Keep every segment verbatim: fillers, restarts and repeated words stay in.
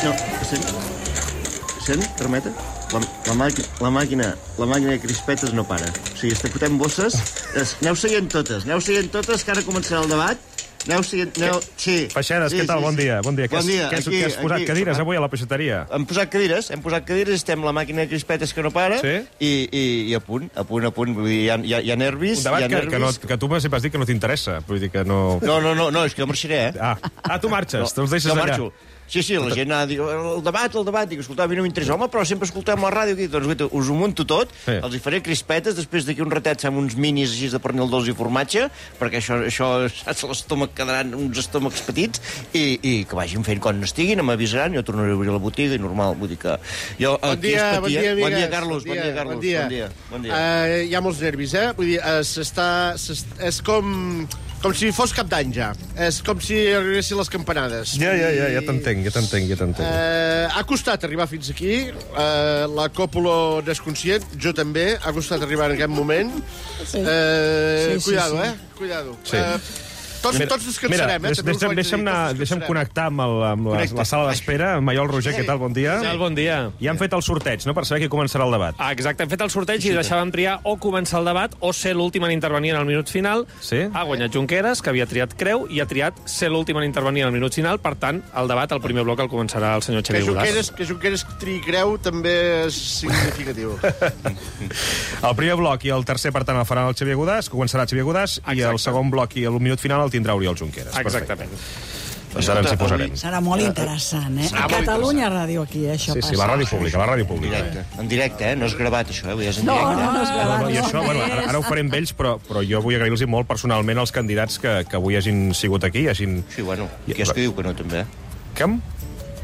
No, sent? Sent? Permeta? La, la, màquina, la, màquina, la màquina de crispetes no para. O sigui, fotem bosses, es, aneu seguint totes, aneu seguint totes, que ara començarà el debat. Aneu seguint... Aneu... Sí. Feixedes, sí, què tal? sí, bon dia. Bon dia. Bon dia. Què has, aquí, què has posat aquí. cadires avui a la peixateria? Hem posat cadires, hem posat cadires, estem la màquina de crispetes que no para, sí? i, i, i a punt, a punt, a punt. Vull dir, hi ha, hi ha, hi ha nervis... Un debat hi ha que, nervis. que, no, que tu sempre has dit que no t'interessa. Vull dir que no... No, no, no, no, és que jo marxaré, eh? Ah, ah tu marxes, no, te'ls deixes jo allà. Marxo. Sí, sí, la gent ha dit, el debat, el debat, dic, escolta, a mi no m'interessa. Home, però sempre escoltem la ràdio aquí. Doncs, guaita, us ho munto tot, sí. Els hi faré crispetes, després d'aquí un ratet fem uns minis així de pernil dolç i formatge, perquè això, això saps, l'estómac quedaran uns estómacs petits, i, i que vagin fent quan estiguin, m'avisaran, jo tornaré a obrir la botiga, i normal, vull dir que... Jo, bon, dia, patia... bon dia, amigues. Bon dia, Carlos, bon dia, Carlos. Bon dia. Bon dia. Bon dia. Uh, hi ha molts nervis, eh? Vull dir, uh, s'està... És com... Com si fos cap d'any, ja. És com si arribessin les campanades. Ja, ja, ja, ja t'entenc, ja t'entenc, ja t'entenc. Uh, ha costat arribar fins aquí. Uh, la Còpolo desconscient, jo també. Ha costat arribar en aquest moment. Sí. Uh, sí, sí, cuidado, sí. eh? Cuidado. Sí. Uh, Tots, Mira, tots descansarem, mira, eh? També deixa'm, deixa'm, anar, deixa'm connectar amb, el, amb la, la sala d'espera. Amb Maiol Roger, què tal? Bon dia. Sí, bon dia. Ja han fet el sorteig, no?, per saber qui començarà el debat. Ah, exacte, hem fet el sorteig i deixàvem triar o començar el debat o ser l'últim en intervenir en el minut final. Sí? Ha guanyat Junqueras, que havia triat Creu, i ha triat ser l'últim en intervenir en el minut final. Per tant, el debat, el primer bloc, el començarà el senyor Xavier Godàs. Que Junqueras triï Creu també és significatiu. El primer bloc i el tercer, per tant, el faran el Xavier Godàs, que començarà Xavier Godàs, exacte. I el segon bloc i el minut final el tindrà Oriol Junqueras. Exactament. Doncs ara ens hi posarem. Serà molt interessant, eh? A Catalunya Ràdio aquí, això sí, passa. Sí, la ràdio pública, la ràdio pública. En directe, en directe, eh? No és gravat, això, eh? És en no, directe. no, no és gravat. No, no, i això, bueno, ara, ara ho farem amb ells, però, però jo vull agrair-los molt personalment als candidats que, que avui hagin sigut aquí. Hagin... Sí, bueno, qui és que diu que no, també? Com?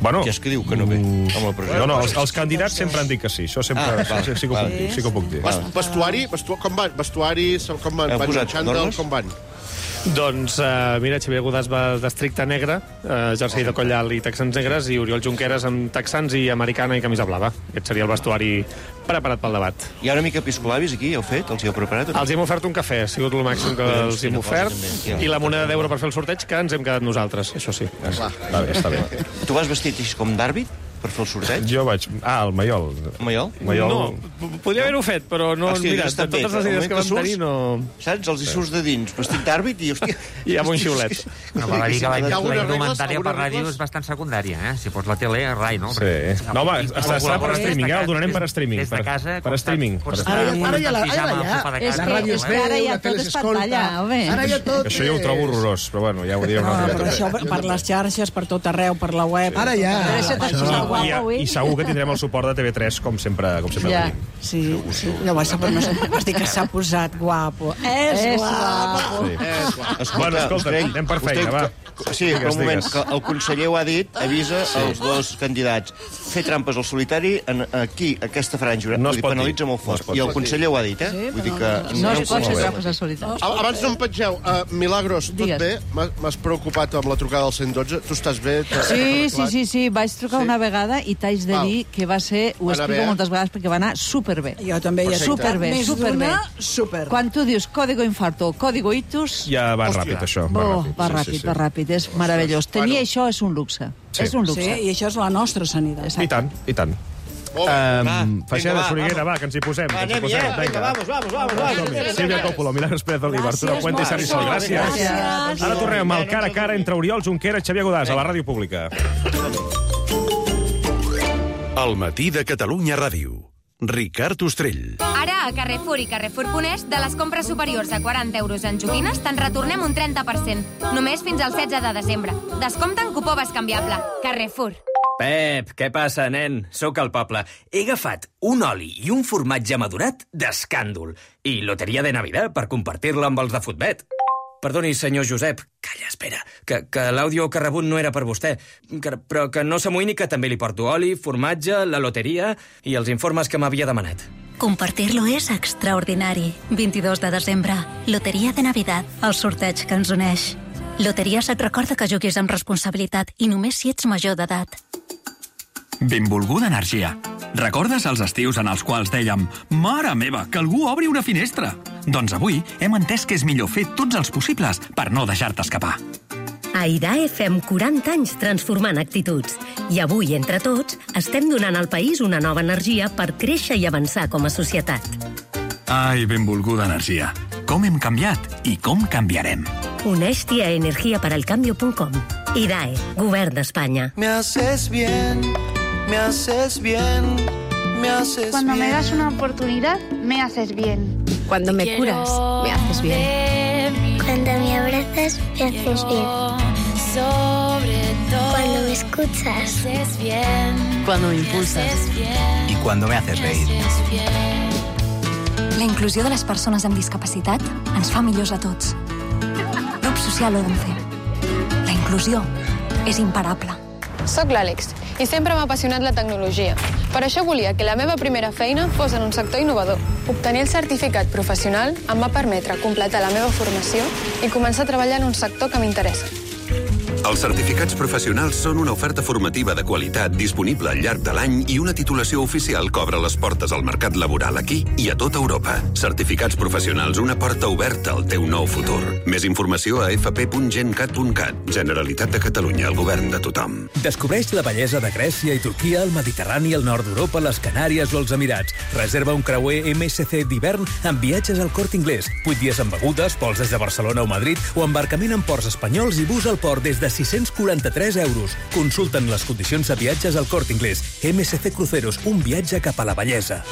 Bueno, qui és que diu que no ve? Amb la pressió. No, no, els, els candidats sempre han dit que sí. Això sempre Ah, val, sí, sí, que ho puc dir, sí que ho puc dir. Vestuari, vestu... com van? Vestuari, com van? Heu Van posat xandall, normes? com van? Doncs, uh, mira, Xavier Godàs va d'estricte negre, uh, jersei de coll alt i texans negres, i Oriol Junqueras amb texans i americana i camisa blava. Aquest seria el vestuari preparat pel debat. Hi ha una mica piscolabis aquí, heu fet? Els hi heu preparat? Els hem ofert un cafè, ha sigut el màxim que els hem ofert, i la moneda d'euro per fer el sorteig, que ens hem quedat nosaltres, això sí. Està bé, està bé. Tu vas vestit així com d'àrbit per fer el sorteig? Jo vaig... Ah, el Maiol. Maiol? Maiol... No, podria haver-ho fet, però no, Hòstia, mira, està de totes bé, les idees el que vam moment que tenir, no... Saps? Els hi surts de dins, vestit d'àrbit i, hòstia... I amb un xiulet. No, val a dir que la, Hi ha la algunes indumentària regles? per ràdio Algunes és bastant secundària, eh? Si pots la tele, rai, no? Sí. No, home, està, està per streaming, eh? El donarem per streaming. Des de casa... Per streaming. Ara ja- ara ja la- ara ja. És que- ràdio és es que veu, ara ja la tot tele és s'escolta. pantalla, home. Ara ja tot Això jo ho trobo horrorós, però bueno, ja ho diré una No, altra però vegada. això per, per les xarxes, per tot arreu, per la web... Ara ja. Deve ser tan Això. guapo, I, avui. I segur que tindrem el suport de T V tres, com sempre, com sempre Ja, tenim. sí, sí. No, vas, no sé, vas dir que s'ha posat guapo. És, és guapo. Sí. Escolta, Bueno, escolta, us anem per us feina, va. Sí, però Digues, un moment, digues. que el conseller ho ha dit, avisa sí. els dos candidats. Fer trampes al solitari, en, aquí, aquesta franja, No vull es dir, pot penalitza dir. molt No es fort. pot I el dir. conseller ho ha dit, eh? Sí, Vull dir però que... no ho es pot fer promovem. trampes al solitari. Abans no em pengeu, uh, Milagros, tot Digues. bé? M'ha- M'has preocupat amb la trucada al cent dotze? Tu estàs bé? T'has Sí, sí, arreglat? sí, sí, vaig trucar Sí? una vegada i t'haig de Val. dir que va ser, ho Va anar explico bé, eh? moltes vegades perquè va anar superbé. Jo també hi he Superbé, Més superbé. d'una, super. Quan tu dius código infarto, código ictus... Ja va Hòstia. ràpid, això. Oh, va Sí, ràpid, sí, sí. va ràpid, és meravellós. Tenir Bueno. això és un luxe. Sí. És un Sí, luxe. i això és la nostra sanitat. I tant, i tant. Molt bé. Um, Va, Feixeda, vinga, va, Soriguera, vamos. va, que ens hi posem. Va, que ens hi anem, posem, ja, vinga, vamos, vamos, vamos, vamos. Sílvia Còpolo, Milagros Pérez Oliva, Arturo Gràcies, Puente i Sari Sol. Marc. Gràcies. Gràcies. Ara tornem al cara a cara entre Oriol Junqueras i Xavier Godàs a la ràdio pública. El matí de Catalunya Ràdio. Ricard Ostrell. Ara, a Carrefour i Carrefour Punès, de les compres superiors a quaranta euros en joguines, te'n retornem un trenta per cent. Només fins al setze de desembre. Descompte en cupó bescanviable. Carrefour. Pep, què passa, nen? Sóc al poble. He agafat un oli i un formatge madurat d'escàndol. I loteria de Navidad per compartir-la amb els de Futbet. Perdoni, senyor Josep. Calla, espera, que, que l'àudio que ha rebut no era per vostè. Que, però que no s'amoïni que també li porto oli, formatge, la loteria i els informes que m'havia demanat. Compartir-lo és extraordinari. vint-i-dos de desembre, Loteria de Navidad, el sorteig que ens uneix. Loteries et recorda que juguis amb responsabilitat i només si ets major d'edat. Benvolguda energia. Recordes els estius en els quals dèiem «Mare meva, que algú obri una finestra»? Doncs avui hem entès que és millor fer tots els possibles per no deixar-te escapar. A I D A E fem quaranta anys transformant actituds. I avui, entre tots, estem donant al país una nova energia per créixer i avançar com a societat. Ai, benvolguda energia. Com hem canviat i com canviarem. Uneix-t'hi a energia para el cambio punt com. I D A E, Govern d'Espanya. Me haces bien, me haces bien, me haces Cuando bien. me das una oportunidad, me haces bien. Cuando me curas, me haces bien. Cuando me abrazas, me haces bien. Cuando me escuchas. Cuando me impulsas. Y cuando me haces reír. La inclusió de les persones amb discapacitat ens fa millors a tots. Grup Social Odense. La inclusió és imparable. Soc l'Àlex i sempre m'ha apassionat la tecnologia. Per això volia que la meva primera feina fos en un sector innovador. Obtenir el certificat professional em va permetre completar la meva formació i començar a treballar en un sector que m'interessa. Els certificats professionals són una oferta formativa de qualitat disponible al llarg de l'any i una titulació oficial que obre les portes al mercat laboral aquí i a tota Europa. Certificats professionals, una porta oberta al teu nou futur. Més informació a f p punt gencat punt cat. Generalitat de Catalunya, el govern de tothom. Descobreix la bellesa de Grècia i Turquia, el Mediterrani, el nord d'Europa, les Canàries o els Emirats. Reserva un creuer M S C d'hivern amb viatges al Corte Inglés. vuit dies amb begudes, vols des de Barcelona o Madrid o embarcament en ports espanyols i bus al port des de sis-cents quaranta-tres euros. Consulten les condicions de viatges al Corte Inglés. M S C Cruceros, un viatge cap a la bellesa.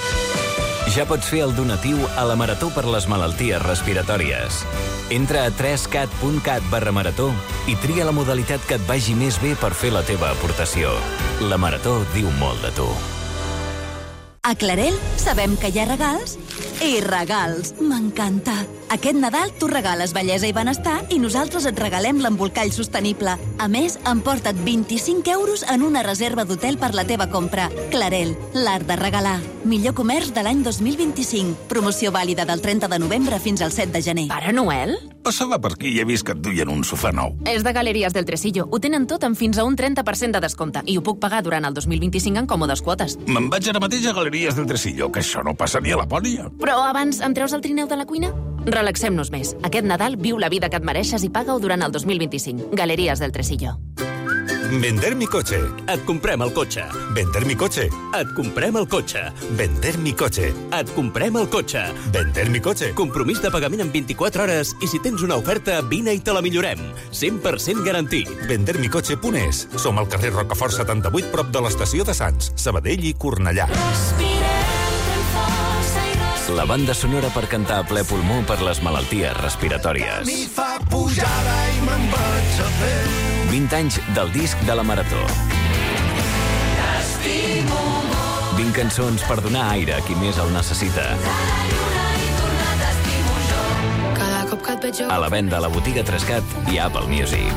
Ja pots fer el donatiu a la Marató per les malalties respiratòries. Entra a tres cat punt cat barra marató i tria la modalitat que et vagi més bé per fer la teva aportació. La Marató diu molt de tu. A Clarel sabem que hi ha regals i regals. M'encanta. Aquest Nadal tu regales bellesa i benestar i nosaltres et regalem l'embolcall sostenible. A més, emporta't vint-i-cinc euros en una reserva d'hotel per la teva compra. Clarel, l'art de regalar. Millor comerç de l'any dos mil vint-i-cinc. Promoció vàlida del trenta de novembre fins al set de gener. Pare Noel? Passava per aquí i he vist que et duien un sofà nou. És de Galeries del Tresillo. Ho tenen tot amb fins a un trenta per cent de descompte i ho puc pagar durant el dos mil vint-i-cinc en còmodes quotes. Me'n vaig ara mateix a Galeries del Tresillo, que això no passa ni a Lapònia. Però abans em treus el trineu de la cuina? Relaxem-nos més. Aquest Nadal viu la vida que et mereixes i paga-ho durant el dos mil vint-i-cinc. Galeries del Tresillo. Vender mi cotxe. Et comprem el cotxe. Vender mi cotxe. Et comprem el cotxe. Vender mi cotxe. Et comprem el cotxe. Vender mi cotxe. Compromís de pagament en vint-i-quatre hores i si tens una oferta, vine i te la millorem. cent per cent garantit. vender mi cotxe punt es. Som al carrer Rocafort setanta-vuit, prop de l'estació de Sants, Sabadell i Cornellà. La banda sonora per cantar a ple pulmó per les malalties respiratòries. Mi fa pujada i me'n vaig a fer. vint anys del disc de la Marató. T'estimo molt. vint cançons per donar aire a qui més el necessita. Cada cop que et veig jo... A la venda a la botiga Trescat i Apple Music.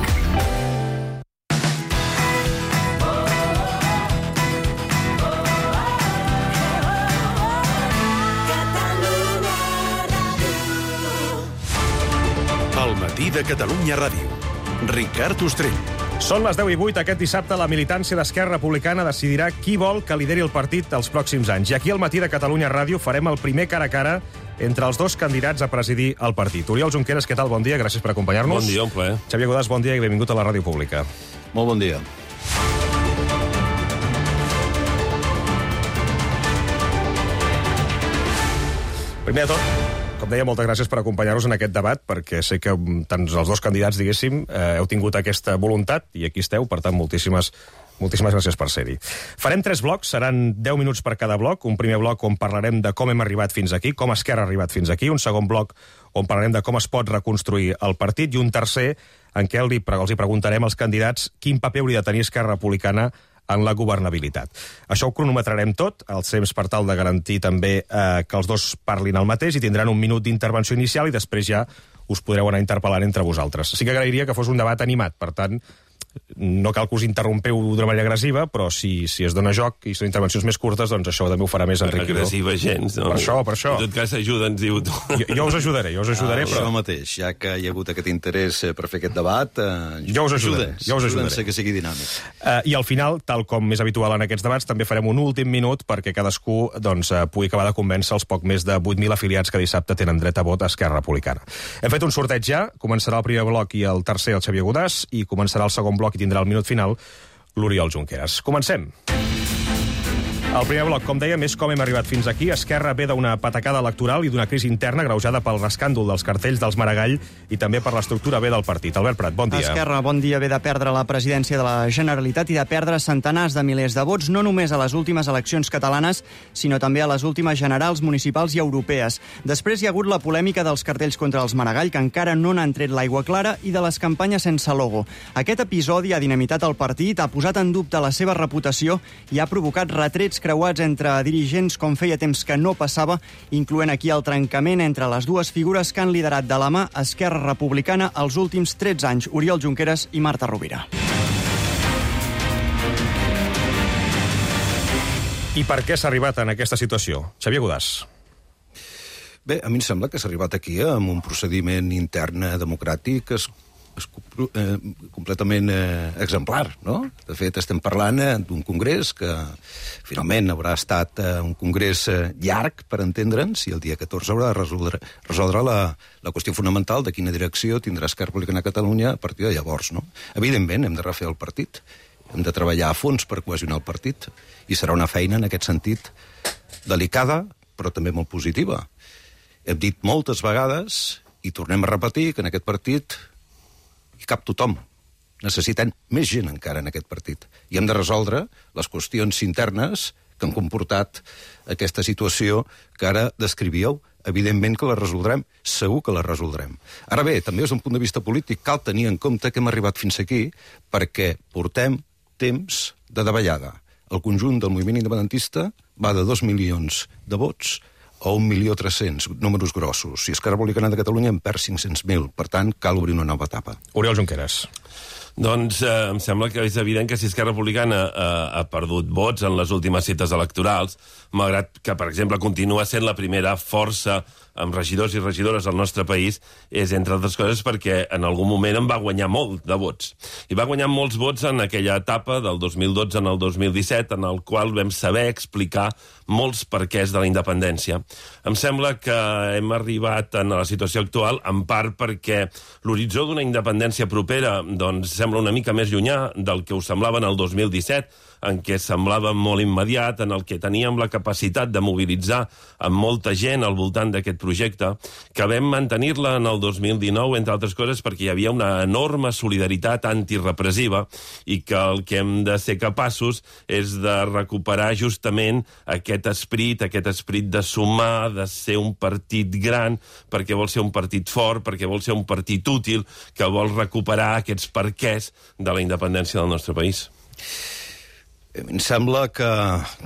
El matí de Catalunya Ràdio. Ricard Ostrell. Són les deu i vuit. Aquest dissabte la militància d'Esquerra Republicana decidirà qui vol que lideri el partit els pròxims anys. I aquí al matí de Catalunya Ràdio farem el primer cara a cara entre els dos candidats a presidir el partit. Oriol Junqueras, què tal? Bon dia, gràcies per acompanyar-nos. Bon dia, un plaer. Xavier Godàs, bon dia i benvingut a la Ràdio Pública. Molt bon dia. Primer de tot, com deia, moltes gràcies per acompanyar-nos en aquest debat, perquè sé que tant els dos candidats, diguéssim, eh, heu tingut aquesta voluntat, i aquí esteu, per tant, moltíssimes, moltíssimes gràcies per ser-hi. Farem tres blocs, seran deu minuts per cada bloc. Un primer bloc on parlarem de com hem arribat fins aquí, com Esquerra ha arribat fins aquí. Un segon bloc on parlarem de com es pot reconstruir el partit. I un tercer en què els hi preguntarem als candidats quin paper hauria de tenir Esquerra Republicana en la governabilitat. Això ho cronometrarem tot, els temps per tal de garantir també eh, que els dos parlin el mateix i tindran un minut d'intervenció inicial i després ja us podreu anar interpel·lant entre vosaltres. Sí que agrairia que fos un debat animat, per tant, no cal que us interrompeu d'una manera agressiva, però si, si es dona joc i són intervencions més curtes, doncs això també ho farà més enriquidor. Agressiva gens, no? Per això, per això. En tot cas, ajuda, ens diu tu. Jo, jo us ajudaré, jo us ajudaré, ah, però... Això mateix, ja que hi ha hagut aquest interès per fer aquest debat, eh, jo us ajudaré, jo us ajudaré. que sigui dinàmic. Uh, I al final, tal com és habitual en aquests debats, també farem un últim minut perquè cadascú doncs, uh, pugui acabar de convèncer els poc més de vuit mil afiliats que dissabte tenen dret a vot a Esquerra Republicana. Hem fet un sorteig ja, començarà el primer bloc i el tercer el Xavier Godàs, i començarà el segon bloc i tindrà el minut final l'Oriol Junqueras. Comencem. El primer bloc, com dèiem, és com hem arribat fins aquí. Esquerra ve d'una patacada electoral i d'una crisi interna greujada pel escàndol dels cartells dels Maragall i també per l'estructura B del partit. Albert Prat, bon dia. Esquerra, bon dia. Ve de perdre la presidència de la Generalitat i de perdre centenars de milers de vots, no només a les últimes eleccions catalanes, sinó també a les últimes generals, municipals i europees. Després hi ha hagut la polèmica dels cartells contra els Maragall, que encara no n'han tret l'aigua clara, i de les campanyes sense logo. Aquest episodi ha dinamitat el partit, ha posat en dubte la seva reputació i ha provocat retrets creuats entre dirigents com feia temps que no passava, incloent aquí el trencament entre les dues figures que han liderat de la mà Esquerra Republicana els últims tretze anys, Oriol Junqueras i Marta Rovira. I per què s'ha arribat en aquesta situació? Xavier Godàs. Bé, a mi em sembla que s'ha arribat aquí amb un procediment intern democràtic es és eh, completament eh, exemplar, no? De fet, estem parlant eh, d'un congrés que finalment haurà estat eh, un congrés eh, llarg, per entendre'ns, i el dia catorze haurà de resoldre, resoldre la, la qüestió fonamental de quina direcció tindrà Esquerra Republicana de Catalunya a partir de llavors, no? Evidentment, hem de refer el partit, hem de treballar a fons per cohesionar el partit, i serà una feina, en aquest sentit, delicada, però també molt positiva. Hem dit moltes vegades, i tornem a repetir, que en aquest partit hi cap tothom. Necessitem més gent encara en aquest partit. I hem de resoldre les qüestions internes que han comportat aquesta situació que ara descrivíeu. Evidentment que la resoldrem, segur que la resoldrem. Ara bé, també des d'un punt de vista polític cal tenir en compte que hem arribat fins aquí perquè portem temps de davallada. El conjunt del moviment independentista va de dos milions de vots a un milió tres-cents, números grossos. Si Esquerra Republicana de Catalunya en perd cinc-cents mil. Per tant, cal obrir una nova etapa. Oriol Junqueras. Doncs eh, em sembla que és evident que si Esquerra Republicana eh, ha perdut vots en les últimes cites electorals, malgrat que, per exemple, continua sent la primera força amb regidors i regidores al nostre país, és, entre altres coses, perquè en algun moment en va guanyar molt de vots. I va guanyar molts vots en aquella etapa del dos mil dotze al dos mil disset, en el qual vam saber explicar molts perquès de la independència. Em sembla que hem arribat a la situació actual en part perquè l'horitzó d'una independència propera doncs, sembla una mica més llunyà del que us semblava en el dos mil disset, en què semblava molt immediat, en el que teníem la capacitat de mobilitzar amb molta gent al voltant d'aquest projecte, que vam mantenir-la en el dos mil dinou, entre altres coses, perquè hi havia una enorme solidaritat antirepressiva i que el que hem de ser capaços és de recuperar justament aquest esperit, aquest esperit de sumar, de ser un partit gran, perquè vol ser un partit fort, perquè vol ser un partit útil, que vol recuperar aquests perquès de la independència del nostre país. Em sembla que,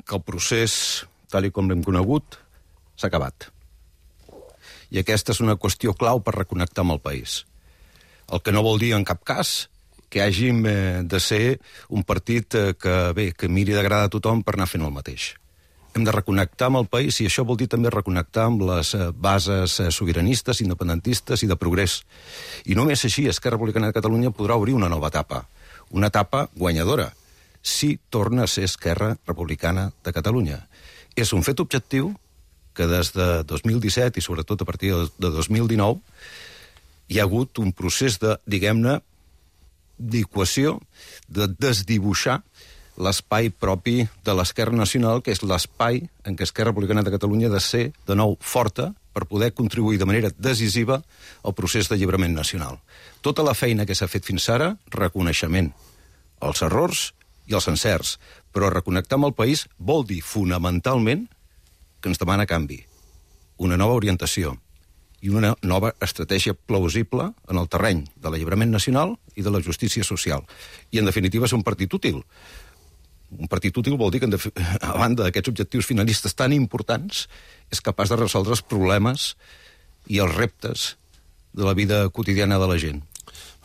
que el procés, tal com l'hem conegut, s'ha acabat. I aquesta és una qüestió clau per reconnectar amb el país. El que no vol dir, en cap cas, que hàgim de ser un partit que, bé, que miri d'agradar a tothom per anar fent el mateix. Hem de reconnectar amb el país i això vol dir també reconnectar amb les bases sobiranistes, independentistes i de progrés. I només així Esquerra Republicana de Catalunya podrà obrir una nova etapa, una etapa guanyadora, si torna a ser Esquerra Republicana de Catalunya. És un fet objectiu que des de dos mil disset i sobretot a partir de dos mil dinou hi ha hagut un procés de, diguem-ne, d'equació, de desdibuixar l'espai propi de l'Esquerra Nacional, que és l'espai en què Esquerra Republicana de Catalunya ha de ser, de nou, forta per poder contribuir de manera decisiva al procés d'alliberament nacional. Tota la feina que s'ha fet fins ara, reconeixement. Els errors i els encerts, però reconnectar amb el país vol dir fonamentalment que ens demana canvi, una nova orientació i una nova estratègia plausible en el terreny de l'alliberament nacional i de la justícia social. I, en definitiva, és un partit útil. Un partit útil vol dir que, a banda d'aquests objectius finalistes tan importants, és capaç de resoldre els problemes i els reptes de la vida quotidiana de la gent.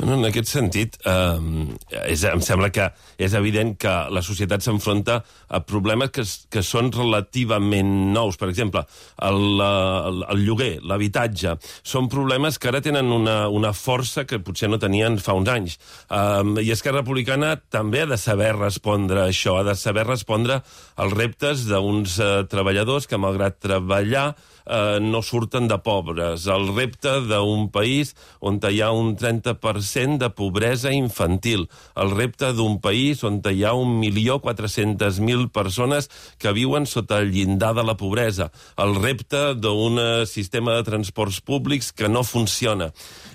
No, en aquest sentit, eh, és, em sembla que és evident que la societat s'enfronta a problemes que, que són relativament nous. Per exemple, el, el, el lloguer, l'habitatge, són problemes que ara tenen una, una força que potser no tenien fa uns anys. Eh, I Esquerra Republicana també ha de saber respondre a això, ha de saber respondre als reptes d'uns eh, treballadors que, malgrat treballar, eh, no surten de pobres. El repte d'un país on hi ha un trenta per cent de pobresa infantil. El repte d'un país on hi ha un milió quatre-cents mil persones que viuen sota el llindar de la pobresa. El repte d'un sistema de transports públics que no funciona.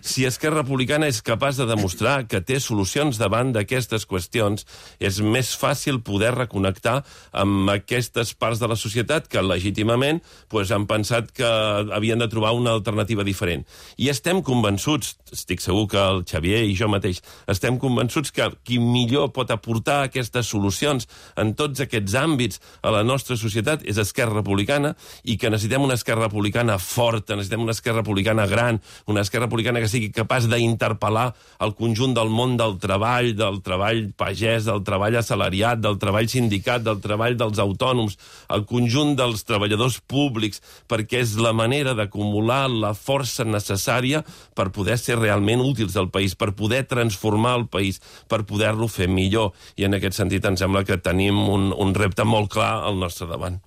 Si Esquerra Republicana és capaç de demostrar que té solucions davant d'aquestes qüestions, és més fàcil poder reconnectar amb aquestes parts de la societat que legítimament pues, han pensat que havien de trobar una alternativa diferent. I estem convençuts, estic segur que el Xavier i jo mateix, estem convençuts que qui millor pot aportar aquestes solucions en tots aquests àmbits a la nostra societat és Esquerra Republicana, i que necessitem una Esquerra Republicana forta, necessitem una Esquerra Republicana gran, una Esquerra Republicana que sigui capaç d'interpel·lar el conjunt del món del treball, del treball pagès, del treball assalariat, del treball sindicat, del treball dels autònoms, el conjunt dels treballadors públics, perquè és la manera d'acumular la força necessària per poder ser realment útils al país, per poder transformar el país, per poder-lo fer millor. I en aquest sentit em sembla que tenim un, un repte molt clar al nostre davant.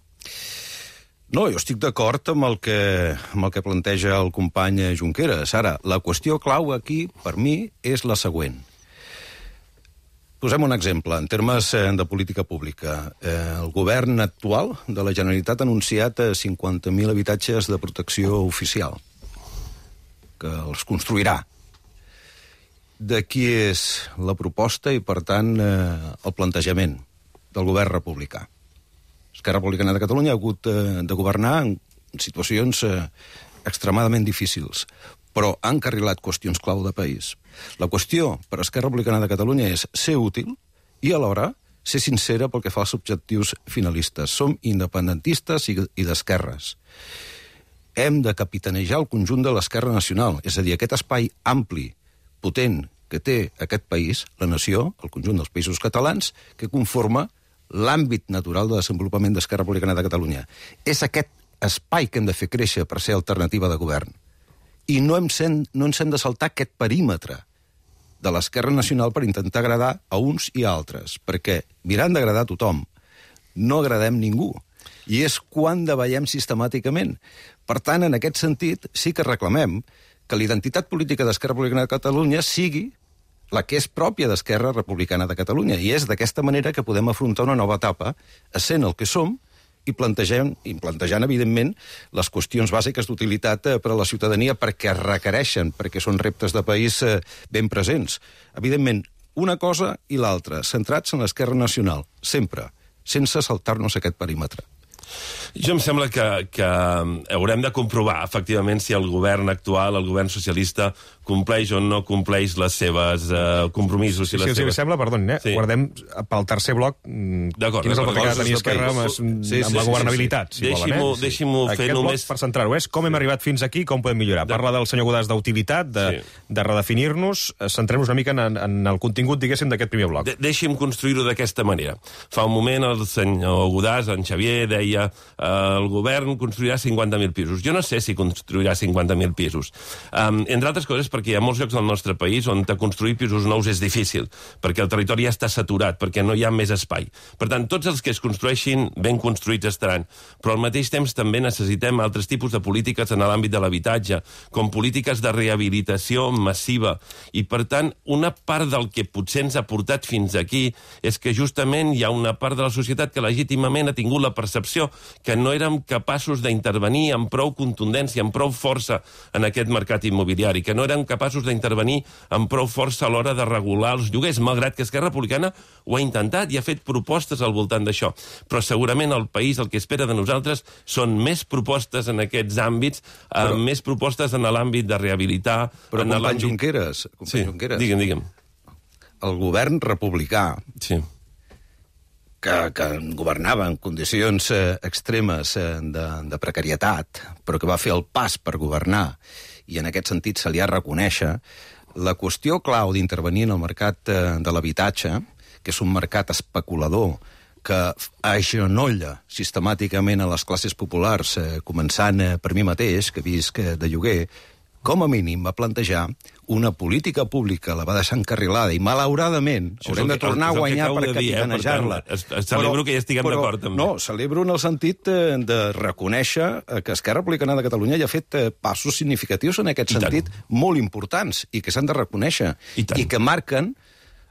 No, jo estic d'acord amb, el que, amb el que planteja el company Junqueras. Ara, la qüestió clau aquí, per mi, és la següent. Posem un exemple, en termes de política pública. El govern actual de la Generalitat ha anunciat cinquanta mil habitatges de protecció oficial, que els construirà. De qui és la proposta i, per tant, el plantejament del govern republicà. Esquerra Republicana de Catalunya ha hagut de governar en situacions extremadament difícils, però han encarrilat qüestions clau de país. La qüestió per a Esquerra Republicana de Catalunya és ser útil i, alhora, ser sincera pel que fa als objectius finalistes. Som independentistes i d'esquerres. Hem de capitanejar el conjunt de l'esquerra nacional, és a dir, aquest espai ampli, potent, que té aquest país, la nació, el conjunt dels països catalans, que conforma l'àmbit natural de desenvolupament d'Esquerra Republicana de Catalunya. És aquest espai que hem de fer créixer per ser alternativa de govern. I no, hem sen, no ens hem de saltar aquest perímetre de l'esquerra nacional per intentar agradar a uns i a altres, perquè mirant d'agradar a tothom, no agradem ningú. I és quan davallem sistemàticament. Per tant, en aquest sentit, sí que reclamem que la identitat política d'Esquerra Republicana de Catalunya sigui la que és pròpia d'Esquerra Republicana de Catalunya. I és d'aquesta manera que podem afrontar una nova etapa, essent el que som i plantejant, i plantejant evidentment, les qüestions bàsiques d'utilitat per a la ciutadania perquè requereixen, perquè són reptes de país ben presents. Evidentment, una cosa i l'altra, centrats en l'esquerra nacional, sempre, sense saltar-nos aquest perímetre. Jo em sembla que, que haurem de comprovar, efectivament, si el govern actual, el govern socialista, compleix o no compleix les seves uh, compromisos. Sí, i les sí, seves... si sembla, perdoni, eh? Sí. Guardem pel tercer bloc quin és el paper que ha de tenir Esquerra amb, sí, sí, amb la governabilitat, sí, sí, sí. si deixi-m'ho volen. Eh? Deixi fer Aquest només... bloc, per centrar-ho, és com hem arribat fins aquí, com podem millorar. Parla del senyor Godàs d'utilitat, de, sí. de redefinir-nos. Centrem-nos una mica en, en el contingut, diguéssim, d'aquest primer bloc. De Deixi'm construir-ho d'aquesta manera. Fa un moment el senyor Godàs, en Xavier, deia eh, el govern construirà cinquanta mil pisos. Jo no sé si construirà cinquanta mil pisos. Um, entre altres coses, perquè hi ha molts llocs del nostre país on construir pisos nous és difícil, perquè el territori ja està saturat, perquè no hi ha més espai. Per tant, tots els que es construeixin ben construïts estaran. Però al mateix temps també necessitem altres tipus de polítiques en l'àmbit de l'habitatge, com polítiques de rehabilitació massiva. I, per tant, una part del que potser ens ha portat fins aquí és que justament hi ha una part de la societat que legítimament ha tingut la percepció que no érem capaços d'intervenir amb prou contundència, amb prou força en aquest mercat immobiliari, que no érem capaços d'intervenir amb prou força a l'hora de regular els lloguers, malgrat que Esquerra Republicana ho ha intentat i ha fet propostes al voltant d'això. Però segurament el país el que espera de nosaltres són més propostes en aquests àmbits, però, eh, més propostes en l'àmbit de rehabilitar... Però, en company Junqueras, company sí, Junqueras, digue'm, digue'm. El govern republicà... Sí. Que, que governava en condicions eh, extremes eh, de, de precarietat, però que va fer el pas per governar, i en aquest sentit se li ha de reconèixer, La qüestió clau d'intervenir en el mercat de l'habitatge, que és un mercat especulador, que agenolla sistemàticament a les classes populars, eh, començant eh, per mi mateix, que visc eh, de lloguer, com a mínim va plantejar una política pública, la va deixar encarrilada, i malauradament haurem de tornar a guanyar per capitanejar-la. Eh? Per celebro que ja estiguem d'acord, també. No, celebro en el sentit eh, de reconèixer eh, que Esquerra Republicana de Catalunya ja ha fet eh, passos significatius en aquest I sentit, tant. molt importants, i que s'han de reconèixer, I, i que marquen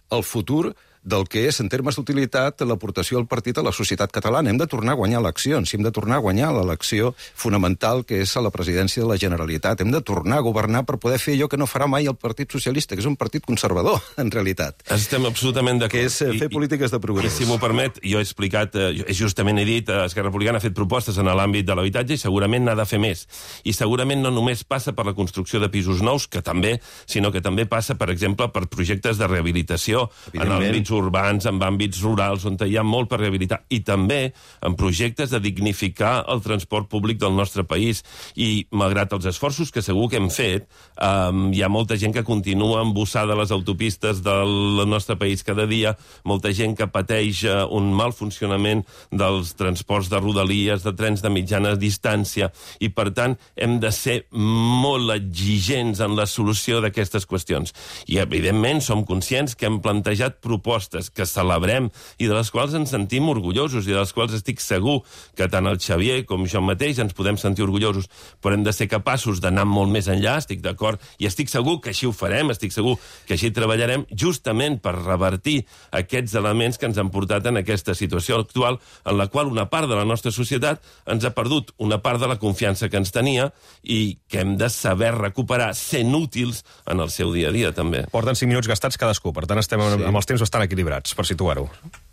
el futur del que és, en termes d'utilitat, l'aportació del partit a la societat catalana. Hem de tornar a guanyar eleccions, hem de tornar a guanyar l'elecció fonamental que és a la presidència de la Generalitat. Hem de tornar a governar per poder fer allò que no farà mai el Partit Socialista, que és un partit conservador, en realitat. Estem absolutament d'acord. Que és eh, fer I, polítiques de progrés. I, si m'ho permet, jo he explicat, eh, justament he dit, eh, Esquerra Republicana ha fet propostes en l'àmbit de l'habitatge i segurament n'ha de fer més. I segurament no només passa per la construcció de pisos nous, que també, sinó que també passa, per exemple, per projectes de rehabilitació en àmbits urbans, en àmbits rurals, on hi ha molt per rehabilitar, i també en projectes de dignificar el transport públic del nostre país. I, malgrat els esforços que segur que hem fet, eh, hi ha molta gent que continua embussada a les autopistes del nostre país cada dia, molta gent que pateix eh, un mal funcionament dels transports de rodalies, de trens de mitjana distància, i, per tant, hem de ser molt exigents en la solució d'aquestes qüestions. I, evidentment, som conscients que hem plantejat propostes que celebrem i de les quals ens sentim orgullosos i de les quals estic segur que tant el Xavier com jo mateix ens podem sentir orgullosos, però hem de ser capaços d'anar molt més enllà, estic d'acord, i estic segur que així ho farem, estic segur que així treballarem, justament per revertir aquests elements que ens han portat en aquesta situació actual, en la qual una part de la nostra societat ens ha perdut una part de la confiança que ens tenia i que hem de saber recuperar sent útils en el seu dia a dia, també. Porten cinc minuts gastats cadascú, per tant estem sí. amb els temps bastant equilibrats, per situar-ho.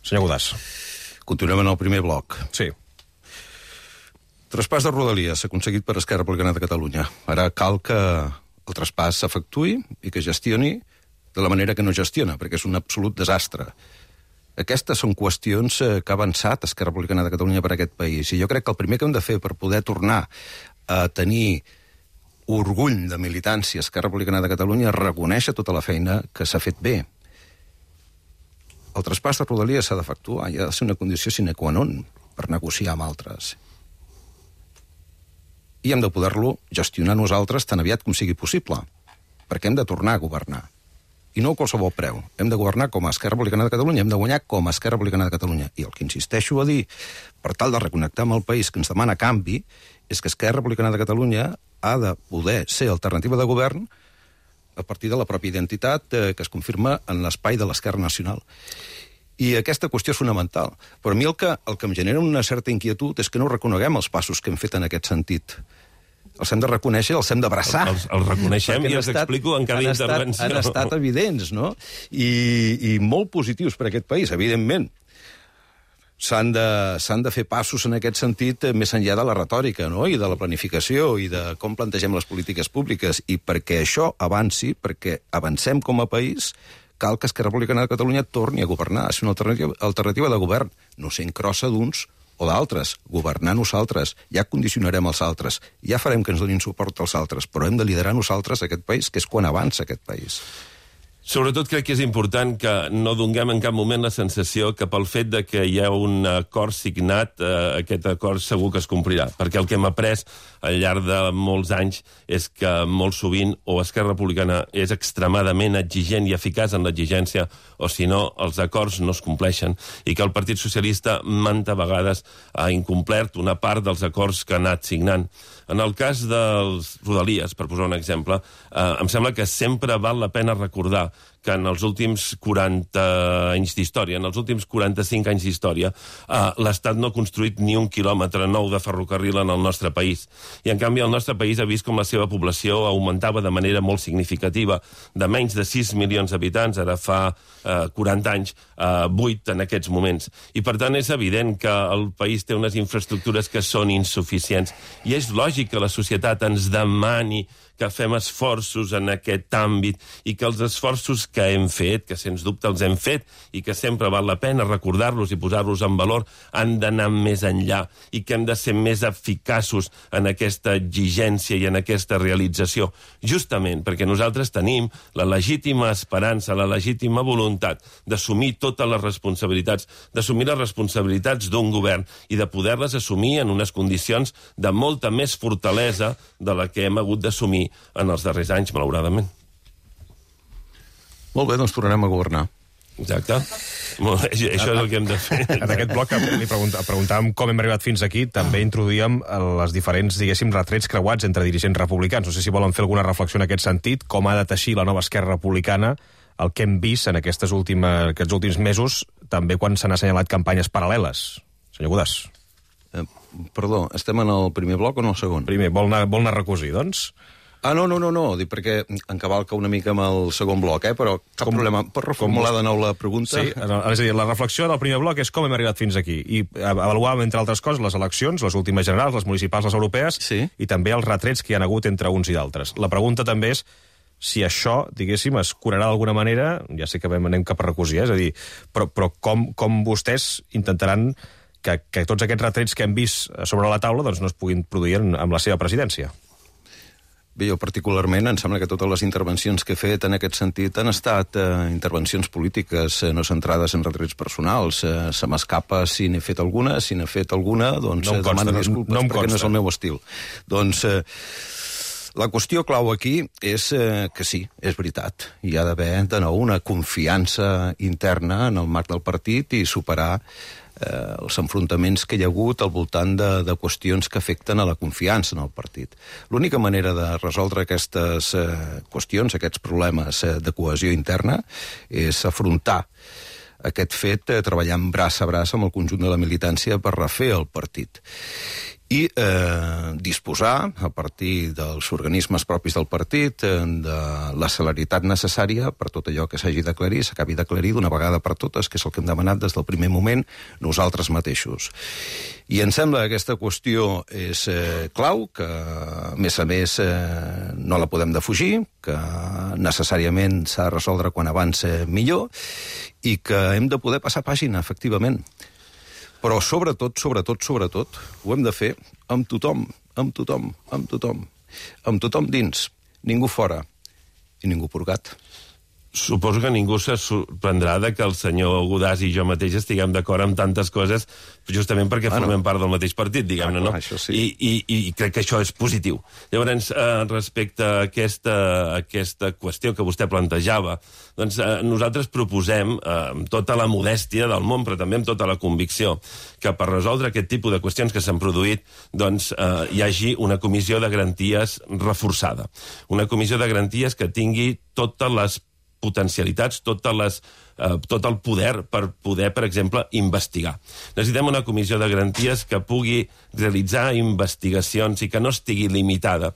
Senyor Godàs. Continuem en el primer bloc. Sí. Traspàs de Rodalies s'ha aconseguit per Esquerra Republicana de Catalunya. Ara cal que el traspàs s'efectuï i que gestioni de la manera que no gestiona, perquè és un absolut desastre. Aquestes són qüestions que ha avançat Esquerra Republicana de Catalunya per aquest país, i jo crec que el primer que hem de fer per poder tornar a tenir orgull de militància Esquerra Republicana de Catalunya és reconèixer tota la feina que s'ha fet bé. El traspàs de Rodalies s'ha d'efectuar, i ha de ser una condició sine qua non per negociar amb altres. I hem de poder-lo gestionar nosaltres tan aviat com sigui possible, perquè hem de tornar a governar. I no a qualsevol preu. Hem de governar com a Esquerra Republicana de Catalunya, hem de guanyar com a Esquerra Republicana de Catalunya. I el que insisteixo a dir, per tal de reconnectar amb el país que ens demana canvi, és que Esquerra Republicana de Catalunya ha de poder ser alternativa de govern a partir de la pròpia identitat eh, que es confirma en l'espai de l'Esquerra Nacional. I aquesta qüestió és fonamental. Però a mi el que, el que em genera una certa inquietud és que no reconeguem els passos que hem fet en aquest sentit. Els hem de reconèixer, els hem d'abraçar. Els, els reconeixem i els estat, explico en cada han intervenció. Estat, han estat evidents, no? I, i molt positius per aquest país, evidentment. S'han de, s'han de fer passos en aquest sentit més enllà de la retòrica, no? I de la planificació i de com plantegem les polítiques públiques. I perquè això avanci, perquè avancem com a país, cal que Esquerra Republicana de Catalunya torni a governar, a ser una alternativa, alternativa de govern, no sent crossa d'uns o d'altres, governar nosaltres. Ja condicionarem els altres, ja farem que ens donin suport als altres, però hem de liderar nosaltres aquest país, que és quan avança aquest país. Sobretot crec que és important que no donem en cap moment la sensació que pel fet de que hi ha un acord signat, eh, aquest acord segur que es complirà. Perquè el que hem après al llarg de molts anys és que molt sovint o Esquerra Republicana és extremadament exigent i eficaç en l'exigència, o si no, els acords no es compleixen. I que el Partit Socialista manta vegades ha incomplert una part dels acords que ha anat signant. En el cas dels Rodalies, per posar un exemple, eh, em sembla que sempre val la pena recordar que en els últims quaranta anys d'història, en els últims quaranta-cinc anys d'història, eh, l'Estat no ha construït ni un quilòmetre nou de ferrocarril en el nostre país. I, en canvi, el nostre país ha vist com la seva població augmentava de manera molt significativa, de menys de sis milions d'habitants, ara fa eh, quaranta anys, eh, vuit en aquests moments. I, per tant, és evident que el país té unes infraestructures que són insuficients. I és lògic que la societat ens demani que fem esforços en aquest àmbit i que els esforços que hem fet, que sens dubte els hem fet i que sempre val la pena recordar-los i posar-los en valor, han d'anar més enllà i que hem de ser més eficaços en aquesta exigència i en aquesta realització, justament perquè nosaltres tenim la legítima esperança, la legítima voluntat d'assumir totes les responsabilitats, d'assumir les responsabilitats d'un govern i de poder-les assumir en unes condicions de molta més fortalesa de la que hem hagut d'assumir en els darrers anys, malauradament. Molt bé, doncs tornarem a governar. Exacte. Molt bé, això és el que hem de fer. En aquest bloc li preguntàvem com hem arribat fins aquí, també introduïem les diferents, diguéssim, retrets creuats entre dirigents republicans. No sé si volen fer alguna reflexió en aquest sentit, com ha de teixir la nova Esquerra Republicana el que hem vist en aquestes últimes, aquests últims mesos, també quan s'han assenyalat campanyes paral·leles. Senyor Godàs. Eh, perdó, estem en el primer bloc o en el segon? Primer, vol anar, vol anar a recosir, doncs? Ah, no, no, no, no, dic perquè encavalca una mica amb el segon bloc, eh? Però cap com, problema. Pots reformular de nou la pregunta? Sí, és a dir, la reflexió del primer bloc és com hem arribat fins aquí. I avaluàvem, entre altres coses, les eleccions, les últimes generals, les municipals, les europees, sí. I també els retrets que hi ha hagut entre uns i d'altres. La pregunta també és si això, diguéssim, es curarà d'alguna manera, ja sé que anem cap a recosir, eh? És a dir, però, però com, com vostès intentaran que, que tots aquests retrets que hem vist sobre la taula doncs, no es puguin produir amb la seva presidència? Bé, jo particularment em sembla que totes les intervencions que he fet en aquest sentit han estat eh, intervencions polítiques, eh, no centrades en retrets personals. Eh, se m'escapa si n'he fet alguna, si n'he fet alguna, doncs no eh, demano disculpes no, no perquè no és el meu estil. Doncs eh, la qüestió clau aquí és eh, que sí, és veritat. Hi ha d'haver de nou una confiança interna en el marc del partit i superar Eh, els enfrontaments que hi ha hagut al voltant de, de qüestions que afecten a la confiança en el partit. L'única manera de resoldre aquestes eh, qüestions, aquests problemes eh, de cohesió interna, és afrontar aquest fet eh, treballant braç a braç amb el conjunt de la militància per refer el partit. I eh, disposar, a partir dels organismes propis del partit, eh, de la celeritat necessària per tot allò que s'hagi d'aclarir, s'acabi d'aclarir d'una vegada per totes, que és el que hem demanat des del primer moment nosaltres mateixos. I em sembla que aquesta qüestió és eh, clau, que a més a més eh, no la podem defugir, que necessàriament s'ha de resoldre quan abans eh, millor, i que hem de poder passar pàgina, efectivament. Però sobretot, sobretot, sobretot, ho hem de fer amb tothom, amb tothom, amb tothom. Amb tothom dins, ningú fora i ningú purgat. Suposo que ningú se sorprendrà de que el senyor Godàs i jo mateix estiguem d'acord amb tantes coses, justament perquè ah, formem no. part del mateix partit, diguem-ne, ah, no? Això sí. I, i, I crec que això és positiu. Llavors, eh, respecte a aquesta, a aquesta qüestió que vostè plantejava, doncs eh, nosaltres proposem, eh, amb tota la modèstia del món, però també amb tota la convicció, que per resoldre aquest tipus de qüestions que s'han produït, doncs eh, hi hagi una comissió de garanties reforçada. Una comissió de garanties que tingui totes les potencialitats, totes les, eh, tot el poder per poder, per exemple, investigar. Necessitem una comissió de garanties que pugui realitzar investigacions i que no estigui limitada.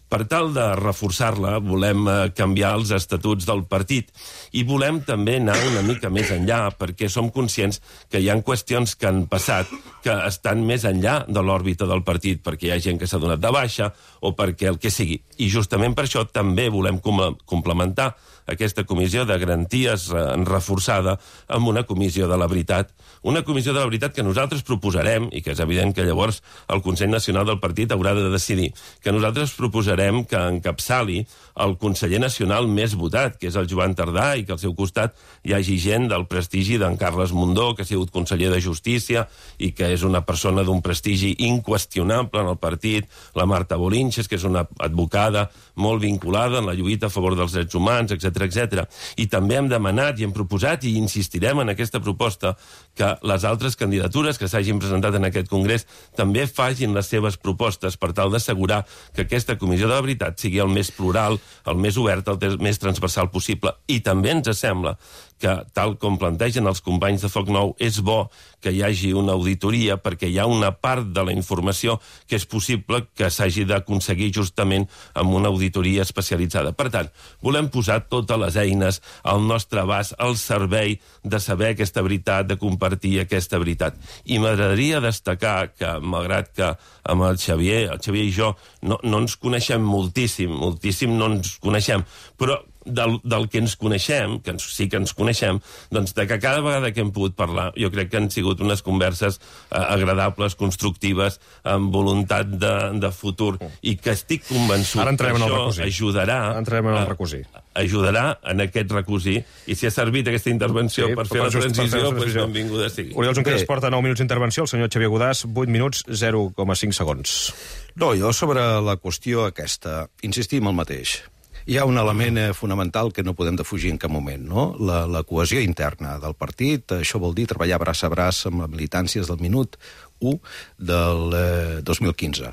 Per tal de reforçar-la, volem eh, canviar els estatuts del partit i volem també anar una mica més enllà, perquè som conscients que hi ha qüestions que han passat que estan més enllà de l'òrbita del partit, perquè hi ha gent que s'ha donat de baixa o perquè el que sigui. I justament per això també volem com complementar aquesta comissió de garanties eh, reforçada amb una comissió de la veritat. Una comissió de la veritat que nosaltres proposarem, i que és evident que llavors el Consell Nacional del Partit haurà de decidir, que nosaltres proposarem que encapçali el conseller nacional més votat, que és el Joan Tardà, i que al seu costat hi hagi gent del prestigi d'en Carles Mundó, que ha sigut conseller de Justícia i que és una persona d'un prestigi inqüestionable en el partit, la Marta Bolinches, que és una advocada molt vinculada en la lluita a favor dels drets humans, etcètera, etcètera. I també hem demanat i hem proposat i insistirem en aquesta proposta que les altres candidatures que s'hagin presentat en aquest congrés també facin les seves propostes per tal d'assegurar que aquesta comissió de la veritat sigui el més plural, el més obert, el més transversal possible. I també ens sembla que, tal com plantegen els companys de Foc Nou, és bo que hi hagi una auditoria perquè hi ha una part de la informació que és possible que s'hagi d'aconseguir justament amb una auditoria especialitzada. Per tant, volem posar totes les eines al nostre abast, al servei de saber aquesta veritat, de compartir aquesta veritat. I m'agradaria destacar que, malgrat que amb el Xavier, el Xavier i jo no, no ens coneixem moltíssim, moltíssim no ens coneixem, però del, del que ens coneixem, que ens, sí que ens coneixem, doncs de que cada vegada que hem pogut parlar, jo crec que han sigut unes converses eh, agradables, constructives, amb voluntat de, de futur, i que estic convençut que això ajudarà, entrem en el recosir. ajudarà en aquest recosir, i si ha servit aquesta intervenció sí, per fer la transició, doncs benvinguda sigui. Oriol Junqueras porta nou minuts d'intervenció, el senyor Xavier Godàs, vuit minuts, zero coma cinc segons. No, jo sobre la qüestió aquesta, insistim el mateix. Hi ha un element eh, fonamental que no podem defugir en cap moment, no? La, la cohesió interna del partit, això vol dir treballar braç a braç amb les militàncies del minut u del eh, dos mil quinze.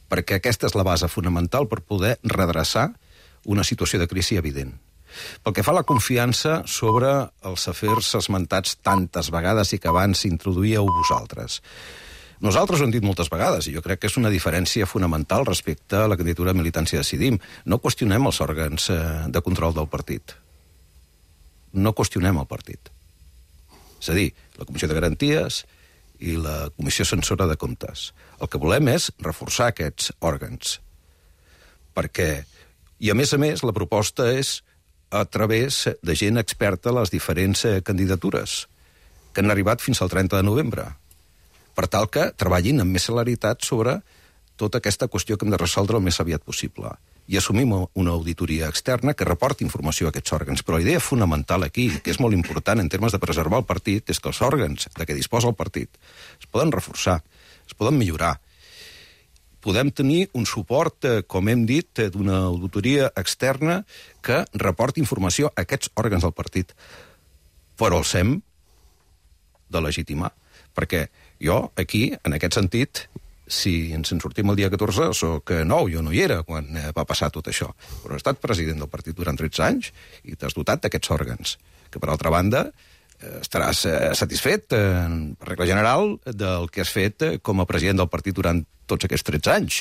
Perquè aquesta és la base fonamental per poder redreçar una situació de crisi evident. Pel que fa a la confiança sobre els afers esmentats tantes vegades i que abans introduïeu vosaltres. Nosaltres ho hem dit moltes vegades, i jo crec que és una diferència fonamental respecte a la candidatura de Militància Decidim. No qüestionem els òrgans de control del partit. No qüestionem el partit. És a dir, la Comissió de Garanties i la Comissió Censora de Comptes. El que volem és reforçar aquests òrgans. Perquè, i a més a més, la proposta és a través de gent experta a les diferents candidatures, que han arribat fins al trenta de novembre. Per tal que treballin amb més celeritat sobre tota aquesta qüestió que hem de resoldre el més aviat possible. I assumim una auditoria externa que reporti informació a aquests òrgans. Però la idea fonamental aquí, que és molt important en termes de preservar el partit, és que els òrgans de què disposa el partit es poden reforçar, es poden millorar. Podem tenir un suport, com hem dit, d'una auditoria externa que reporti informació a aquests òrgans del partit. Però els hem de legitimar. Perquè jo, aquí, en aquest sentit, si ens en sortim el dia catorze, soc nou, jo no hi era quan va passar tot això. Però he estat president del partit durant tretze anys i t'has dotat d'aquests òrgans, que, per altra banda, estaràs satisfet, per regla general, del que has fet com a president del partit durant tots aquests tretze anys.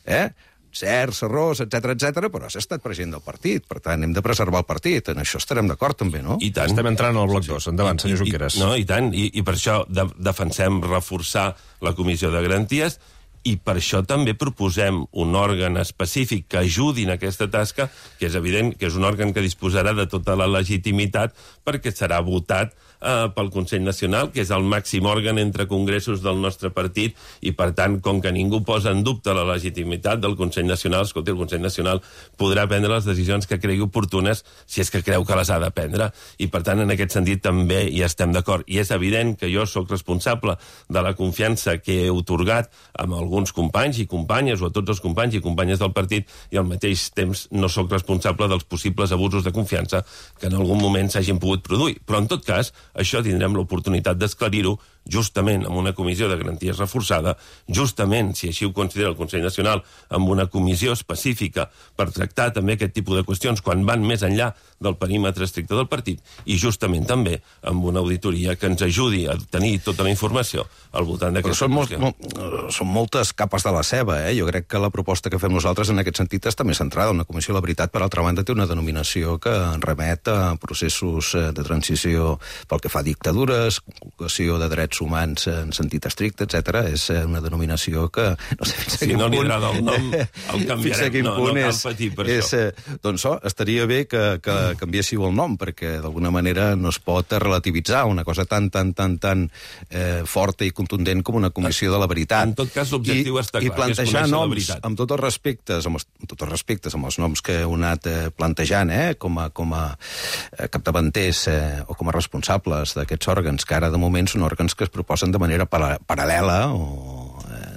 Eh? Certs errors, etcètera, etcètera, però has estat president del partit. Per tant, hem de preservar el partit. En això estarem d'acord, també, no? I tant. Estem entrant al bloc dos. Endavant, senyor Junqueras. No, i tant. I, i per això de, defensem reforçar la Comissió de Garanties, i per això també proposem un òrgan específic que ajudi en aquesta tasca, que és evident que és un òrgan que disposarà de tota la legitimitat perquè serà votat eh, pel Consell Nacional, que és el màxim òrgan entre congressos del nostre partit, i per tant, com que ningú posa en dubte la legitimitat del Consell Nacional, escolti, el Consell Nacional podrà prendre les decisions que cregui oportunes si és que creu que les ha de prendre, i per tant, en aquest sentit també hi estem d'acord. I és evident que jo sóc responsable de la confiança que he otorgat amb el alguns companys i companyes, o a tots els companys i companyes del partit, i al mateix temps no sóc responsable dels possibles abusos de confiança que en algun moment s'hagin pogut produir. Però, en tot cas, això tindrem l'oportunitat d'esclarir-ho justament amb una comissió de garanties reforçada, justament, si així ho considera el Consell Nacional, amb una comissió específica per tractar també aquest tipus de qüestions quan van més enllà del perímetre estricte del partit, i justament també amb una auditoria que ens ajudi a tenir tota la informació al voltant d'aquesta qüestió. Són, molt, són moltes capes de la ceba, eh? Jo crec que la proposta que fem nosaltres en aquest sentit està més centrada. Una comissió, la veritat, per altra banda, té una denominació que remet a processos de transició pel que fa a dictadures, conculcació de drets humans en sentit estricte, etcètera. És una denominació que no sé fins a si quin no punt... Si no li agrada el nom, el canviarem. No, no cal patir per és, això. Doncs oh, estaria bé que, que canviéssiu el nom, perquè d'alguna manera no es pot relativitzar una cosa tan, tan, tan, tan eh, forta i contundent com una comissió de la veritat. En tot cas, l'objectiu està clar, i plantejar que és noms amb tots els respectes, amb, els, amb tots els respectes, amb els noms que heu anat eh, plantejant, eh, com a, com a eh, capdavanters eh, o com a responsables d'aquests òrgans, que ara de moment són òrgans que es proposen de manera para paral·lela o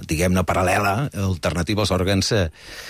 diguem-ne, paral·lela, alternativa als òrgans eh,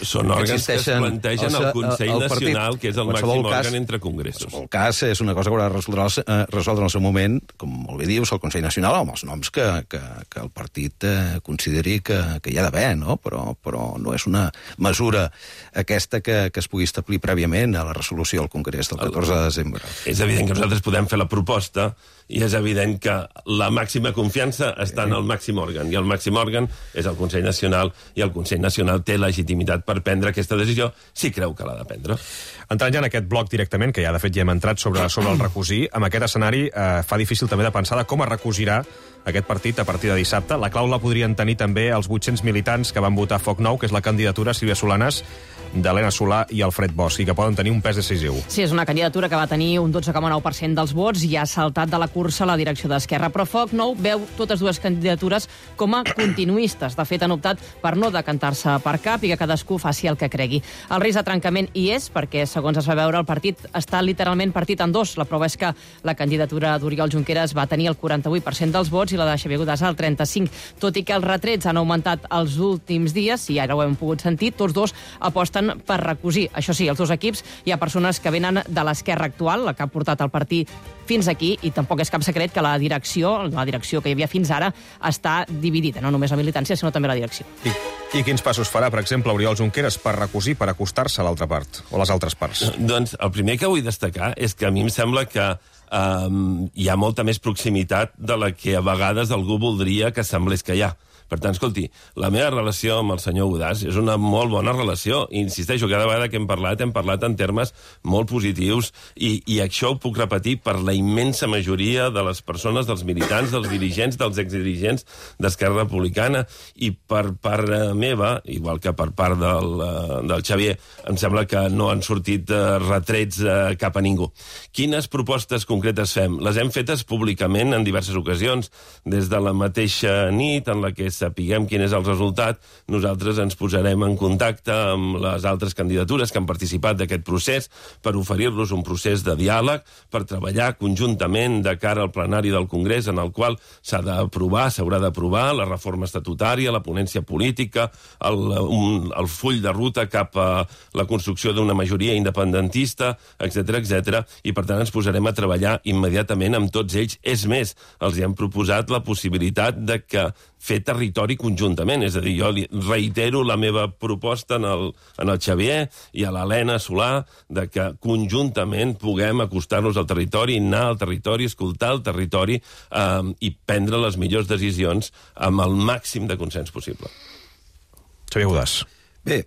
són òrgans que es plantegen al Consell al Nacional, que és el màxim òrgan cas, entre congressos. En el cas és una cosa que haurà de resoldre, eh, resoldre en el seu moment, com molt bé dius, el Consell Nacional, amb els noms que, que, que el partit eh, consideri que, que hi ha d'haver, no? Però, però no és una mesura aquesta que, que es pugui establir prèviament a la resolució del Congrés del catorze de desembre. És evident que nosaltres podem fer la proposta, i és evident que la màxima confiança està en el màxim òrgan, i el màxim òrgan és el Consell Nacional, i el Consell Nacional té legitimitat per prendre aquesta decisió si creu que l'ha de prendre. Entrant ja en aquest bloc directament, que ja de fet ja hem entrat sobre, sobre el recosir, amb aquest escenari eh, fa difícil també de pensar de com es recosirà aquest partit a partir de dissabte. La clau la podrien tenir també els vuit-cents militants que van votar Foc Nou, que és la candidatura Sílvia Solanas, d'Helena Solà i Alfred Bosch, i que poden tenir un pes decisiu. Sí, és una candidatura que va tenir un dotze coma nou per cent dels vots i ha saltat de la cursa a la direcció d'Esquerra. Però Foc Nou veu totes dues candidatures com a continuistes. De fet, han optat per no decantar-se per cap i que cadascú faci el que cregui. El risc de trencament hi és, perquè, segons es va veure, el partit està literalment partit en dos. La prova és que la candidatura d'Oriol Junqueras va tenir el quaranta-vuit per cent dels vots i la de Xavier Godàs el trenta-cinc. Tot i que els retrets han augmentat els últims dies, i ara ho hem pogut sentir, tots dos aposten per recosir. Això sí, els dos equips, hi ha persones que venen de l'esquerra actual, la que ha portat el partit fins aquí, i tampoc és cap secret que la direcció, la direcció que hi havia fins ara, està dividida, no només la militància, sinó també la direcció. I, i quins passos farà, per exemple, Oriol Junqueras per recosir, per acostar-se a l'altra part, o a les altres parts? Doncs el primer que vull destacar és que a mi em sembla que um, hi ha molta més proximitat de la que a vegades algú voldria que semblés que hi ha. Per tant, escolti, la meva relació amb el senyor Godàs és una molt bona relació. I insisteixo, cada vegada que hem parlat, hem parlat en termes molt positius i, i això ho puc repetir per la immensa majoria de les persones, dels militants, dels dirigents, dels exdirigents d'Esquerra Republicana. I per part meva, igual que per part del, del Xavier, em sembla que no han sortit uh, retrets uh, cap a ningú. Quines propostes concretes fem? Les hem fetes públicament en diverses ocasions, des de la mateixa nit en la que sapiguem quin és el resultat, nosaltres ens posarem en contacte amb les altres candidatures que han participat d'aquest procés per oferir-los un procés de diàleg, per treballar conjuntament de cara al plenari del Congrés, en el qual s'ha d'aprovar, s'haurà d'aprovar la reforma estatutària, la ponència política, el, un, el full de ruta cap a la construcció d'una majoria independentista, etcètera, etcètera, i per tant ens posarem a treballar immediatament amb tots ells. És més, els hi hem proposat la possibilitat de que fer territori conjuntament. És a dir, jo li reitero la meva proposta en el, en el Xavier i a l'Helena Solà de que conjuntament puguem acostar-nos al territori, anar al territori, escoltar el territori eh, i prendre les millors decisions amb el màxim de consens possible. Xavier Godàs. Bé,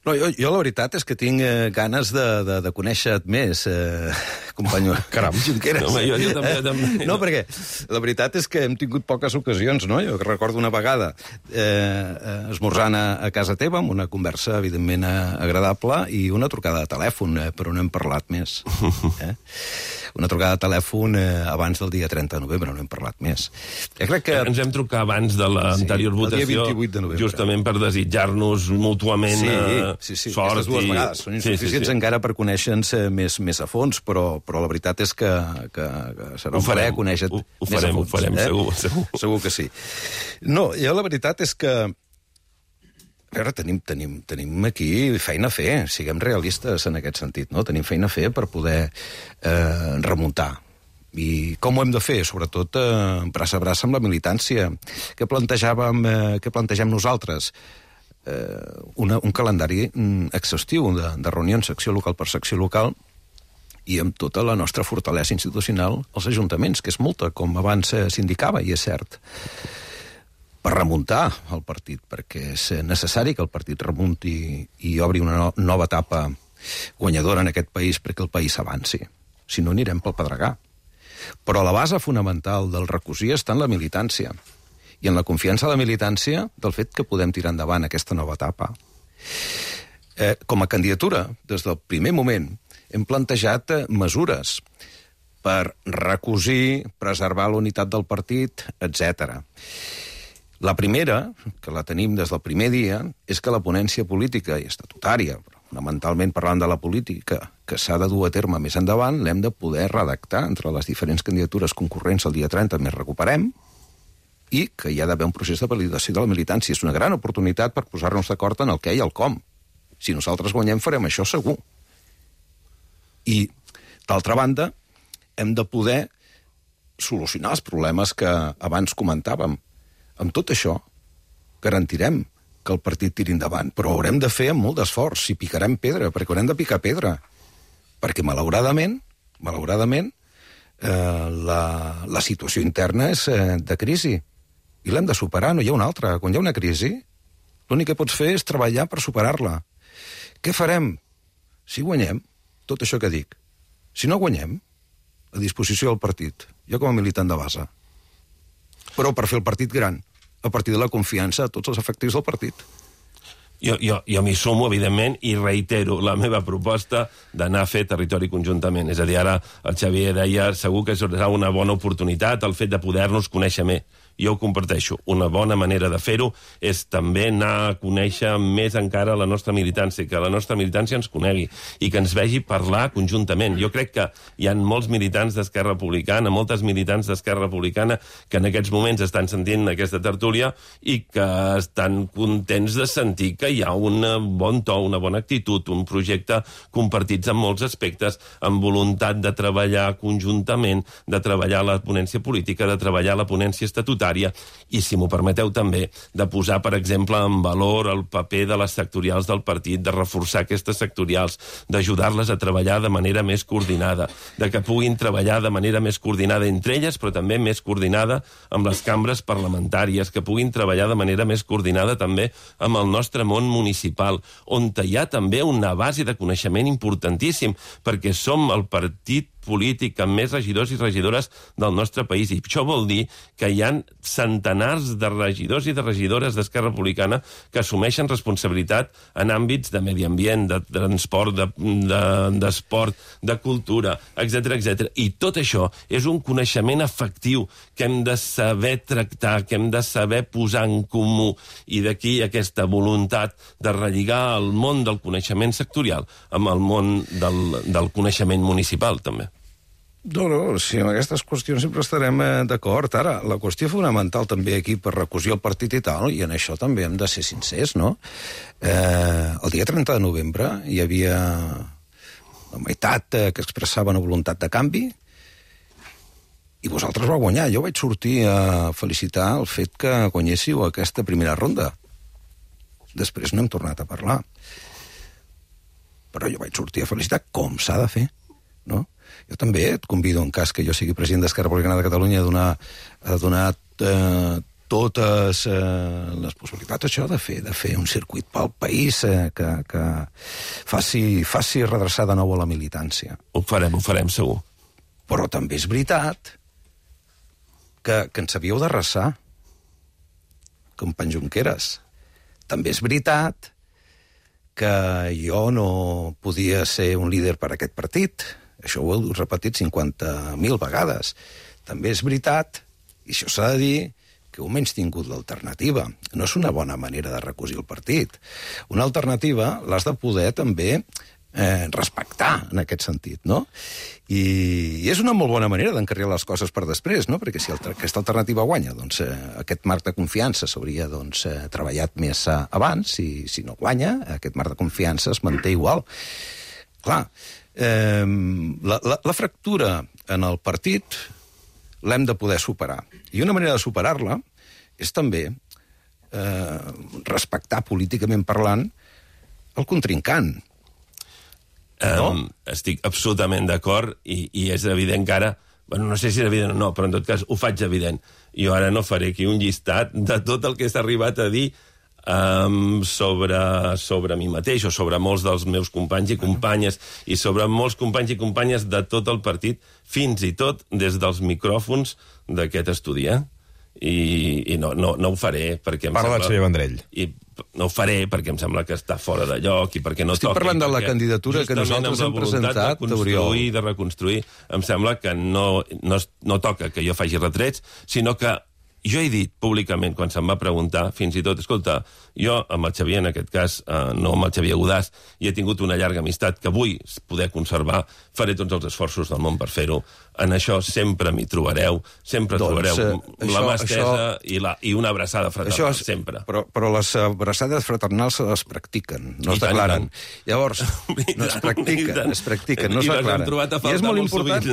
no, jo, jo la veritat és que tinc eh, ganes de, de, de conèixer-te més, eh, company Caram. Junqueras. No, jo, jo també, també. No, perquè la veritat és que hem tingut poques ocasions, no? Jo recordo una vegada eh, esmorzant a, a casa teva, amb una conversa, evidentment, agradable, i una trucada de telèfon, eh, però no hem parlat més. Eh? Una trucada de telèfon eh, abans del dia trenta de novembre, no hem parlat més. Jo crec que... Ens hem trucat abans de l'anterior sí, votació, vint-i-vuit de novembre. Justament per desitjar-nos mútuament sí, eh, sí, sí, sort. Aquestes dues i... vegades són insuficients sí, sí, sí. encara per conèixer-nos més, més a fons, però, però la veritat és que, que, que serà un plaer conèixer-te ho, ho més farem, a fons. Ho farem, eh? segur, segur. Segur que sí. No, jo la veritat és que a veure, tenim, tenim, tenim aquí feina a fer, siguem realistes en aquest sentit, no? Tenim feina a fer per poder eh, remuntar. I com ho hem de fer? Sobretot eh, braç a braç amb la militància. Què plantejàvem, eh, què plantegem nosaltres? Eh, una, un calendari exhaustiu de, de reunions secció local per secció local i amb tota la nostra fortalesa institucional als ajuntaments, que és molta, com abans s'indicava, i és cert, per remuntar el partit, perquè és necessari que el partit remunti i obri una no, nova etapa guanyadora en aquest país perquè el país avanci. Si no, anirem pel pedregar. Però la base fonamental del recosir està en la militància i en la confiança de la militància del fet que podem tirar endavant aquesta nova etapa. Eh, com a candidatura, des del primer moment, hem plantejat eh, mesures per recosir, preservar la unitat del partit, etcètera. La primera, que la tenim des del primer dia, és que la ponència política i estatutària, fonamentalment parlant de la política, que s'ha de dur a terme més endavant, l'hem de poder redactar entre les diferents candidatures concurrents el dia trenta, més recuperem, i que hi ha d'haver un procés de validació de la militància. És una gran oportunitat per posar-nos d'acord en el què i el com. Si nosaltres guanyem, farem això segur. I, d'altra banda, hem de poder solucionar els problemes que abans comentàvem. Amb tot això, garantirem que el partit tiri endavant, però ho haurem de fer amb molt d'esforç, i picarem pedra, perquè haurem de picar pedra. Perquè, malauradament, malauradament, eh, la, la situació interna és eh, de crisi, i l'hem de superar, no hi ha una altra. Quan hi ha una crisi, l'únic que pots fer és treballar per superar-la. Què farem? Si guanyem, tot això que dic. Si no guanyem, a disposició del partit, jo com a militant de base. però per fer el partit gran, a partir de la confiança a tots els efectius del partit. Jo, jo, jo m'hi sumo, evidentment, i reitero la meva proposta d'anar a fer territori conjuntament. És a dir, ara el Xavier deia segur que serà una bona oportunitat el fet de poder-nos conèixer més. Jo ho comparteixo. Una bona manera de fer-ho és també anar a conèixer més encara la nostra militància, que la nostra militància ens conegui i que ens vegi parlar conjuntament. Jo crec que hi ha molts militants d'Esquerra Republicana, moltes militants d'Esquerra Republicana que en aquests moments estan sentint aquesta tertúlia i que estan contents de sentir que hi ha un bon to, una bona actitud, un projecte compartits en molts aspectes, amb voluntat de treballar conjuntament, de treballar la ponència política, de treballar la ponència estatutària, i, si m'ho permeteu també, de posar, per exemple, en valor el paper de les sectorials del partit, de reforçar aquestes sectorials, d'ajudar-les a treballar de manera més coordinada, de que puguin treballar de manera més coordinada entre elles, però també més coordinada amb les cambres parlamentàries, que puguin treballar de manera més coordinada també amb el nostre món municipal, on hi ha també una base de coneixement importantíssim, perquè som el partit polític amb més regidors i regidores del nostre país, i això vol dir que hi ha centenars de regidors i de regidores d'Esquerra Republicana que assumeixen responsabilitat en àmbits de medi ambient, de transport, d'esport, de, de, de cultura, etcètera, etcètera. I tot això és un coneixement efectiu que hem de saber tractar, que hem de saber posar en comú, i d'aquí aquesta voluntat de relligar el món del coneixement sectorial amb el món del, del coneixement municipal, també. No, no, sí, amb aquestes qüestions sempre estarem eh, d'acord. Ara, la qüestió fonamental també aquí per recosir el partit i tal, i en això també hem de ser sincers, no? Eh, el dia trenta de novembre hi havia la meitat eh, que expressava una voluntat de canvi, i vosaltres vau guanyar. Jo vaig sortir a felicitar el fet que guanyéssiu aquesta primera ronda. Després no hem tornat a parlar. Però jo vaig sortir a felicitar com s'ha de fer, no? Jo també et convido, en cas que jo sigui president d'Esquerra Republicana de Catalunya, a donar, a donar eh, totes eh, les possibilitats, això, de fer, de fer un circuit pel país eh, que, que faci, faci redreçar de nou a la militància. Ho farem, ho farem, segur. Però també és veritat que, que ens havíeu d'arrasar, company Junqueras. També és veritat que jo no podia ser un líder per a aquest partit. Això ho heu repetit cinquanta mil vegades. També és veritat, i això s'ha de dir, que heu menys tingut l'alternativa. No és una bona manera de recosir el partit. Una alternativa l'has de poder també eh, respectar en aquest sentit, no? I, i és una molt bona manera d'encarrilar les coses per després, no? Perquè si el, aquesta alternativa guanya, doncs eh, aquest marc de confiança s'hauria doncs, eh, treballat més eh, abans, i si no guanya, aquest marc de confiança es manté igual. Clar, eh, la, la, la fractura en el partit l'hem de poder superar. I una manera de superar-la és també eh, respectar políticament parlant el contrincant. No? Um, estic absolutament d'acord, i, i és evident que ara, bueno, no sé si és evident o no, però en tot cas ho faig evident. Jo ara no faré aquí un llistat de tot el que s'ha arribat a dir um, sobre, sobre mi mateix, o sobre molts dels meus companys i companyes, i sobre molts companys i companyes de tot el partit, fins i tot des dels micròfons d'aquest estudi, eh? I, i no, no, no ho faré perquè em Parla sembla... el senyor Vendrell. I no ho faré perquè em sembla que està fora de lloc i perquè no Estic toca... Estic parlant de la candidatura que nosaltres hem presentat, de construir, de reconstruir, em sembla que no, no, no toca que jo faci retrets, sinó que jo he dit públicament, quan se'm va preguntar, fins i tot, escolta, jo amb el Xavier, en aquest cas, eh, no amb el Xavier Godàs, i he tingut una llarga amistat que vull poder conservar, faré tots els esforços del món per fer-ho. En això sempre m'hi trobareu, sempre doncs, trobareu eh, la mà estesa això, i, la, i una abraçada fraternal, és, sempre. Però, però les abraçades fraternals se les practiquen, no es declaren. Llavors, no es practiquen, es practiquen, no es declaren. I és molt important,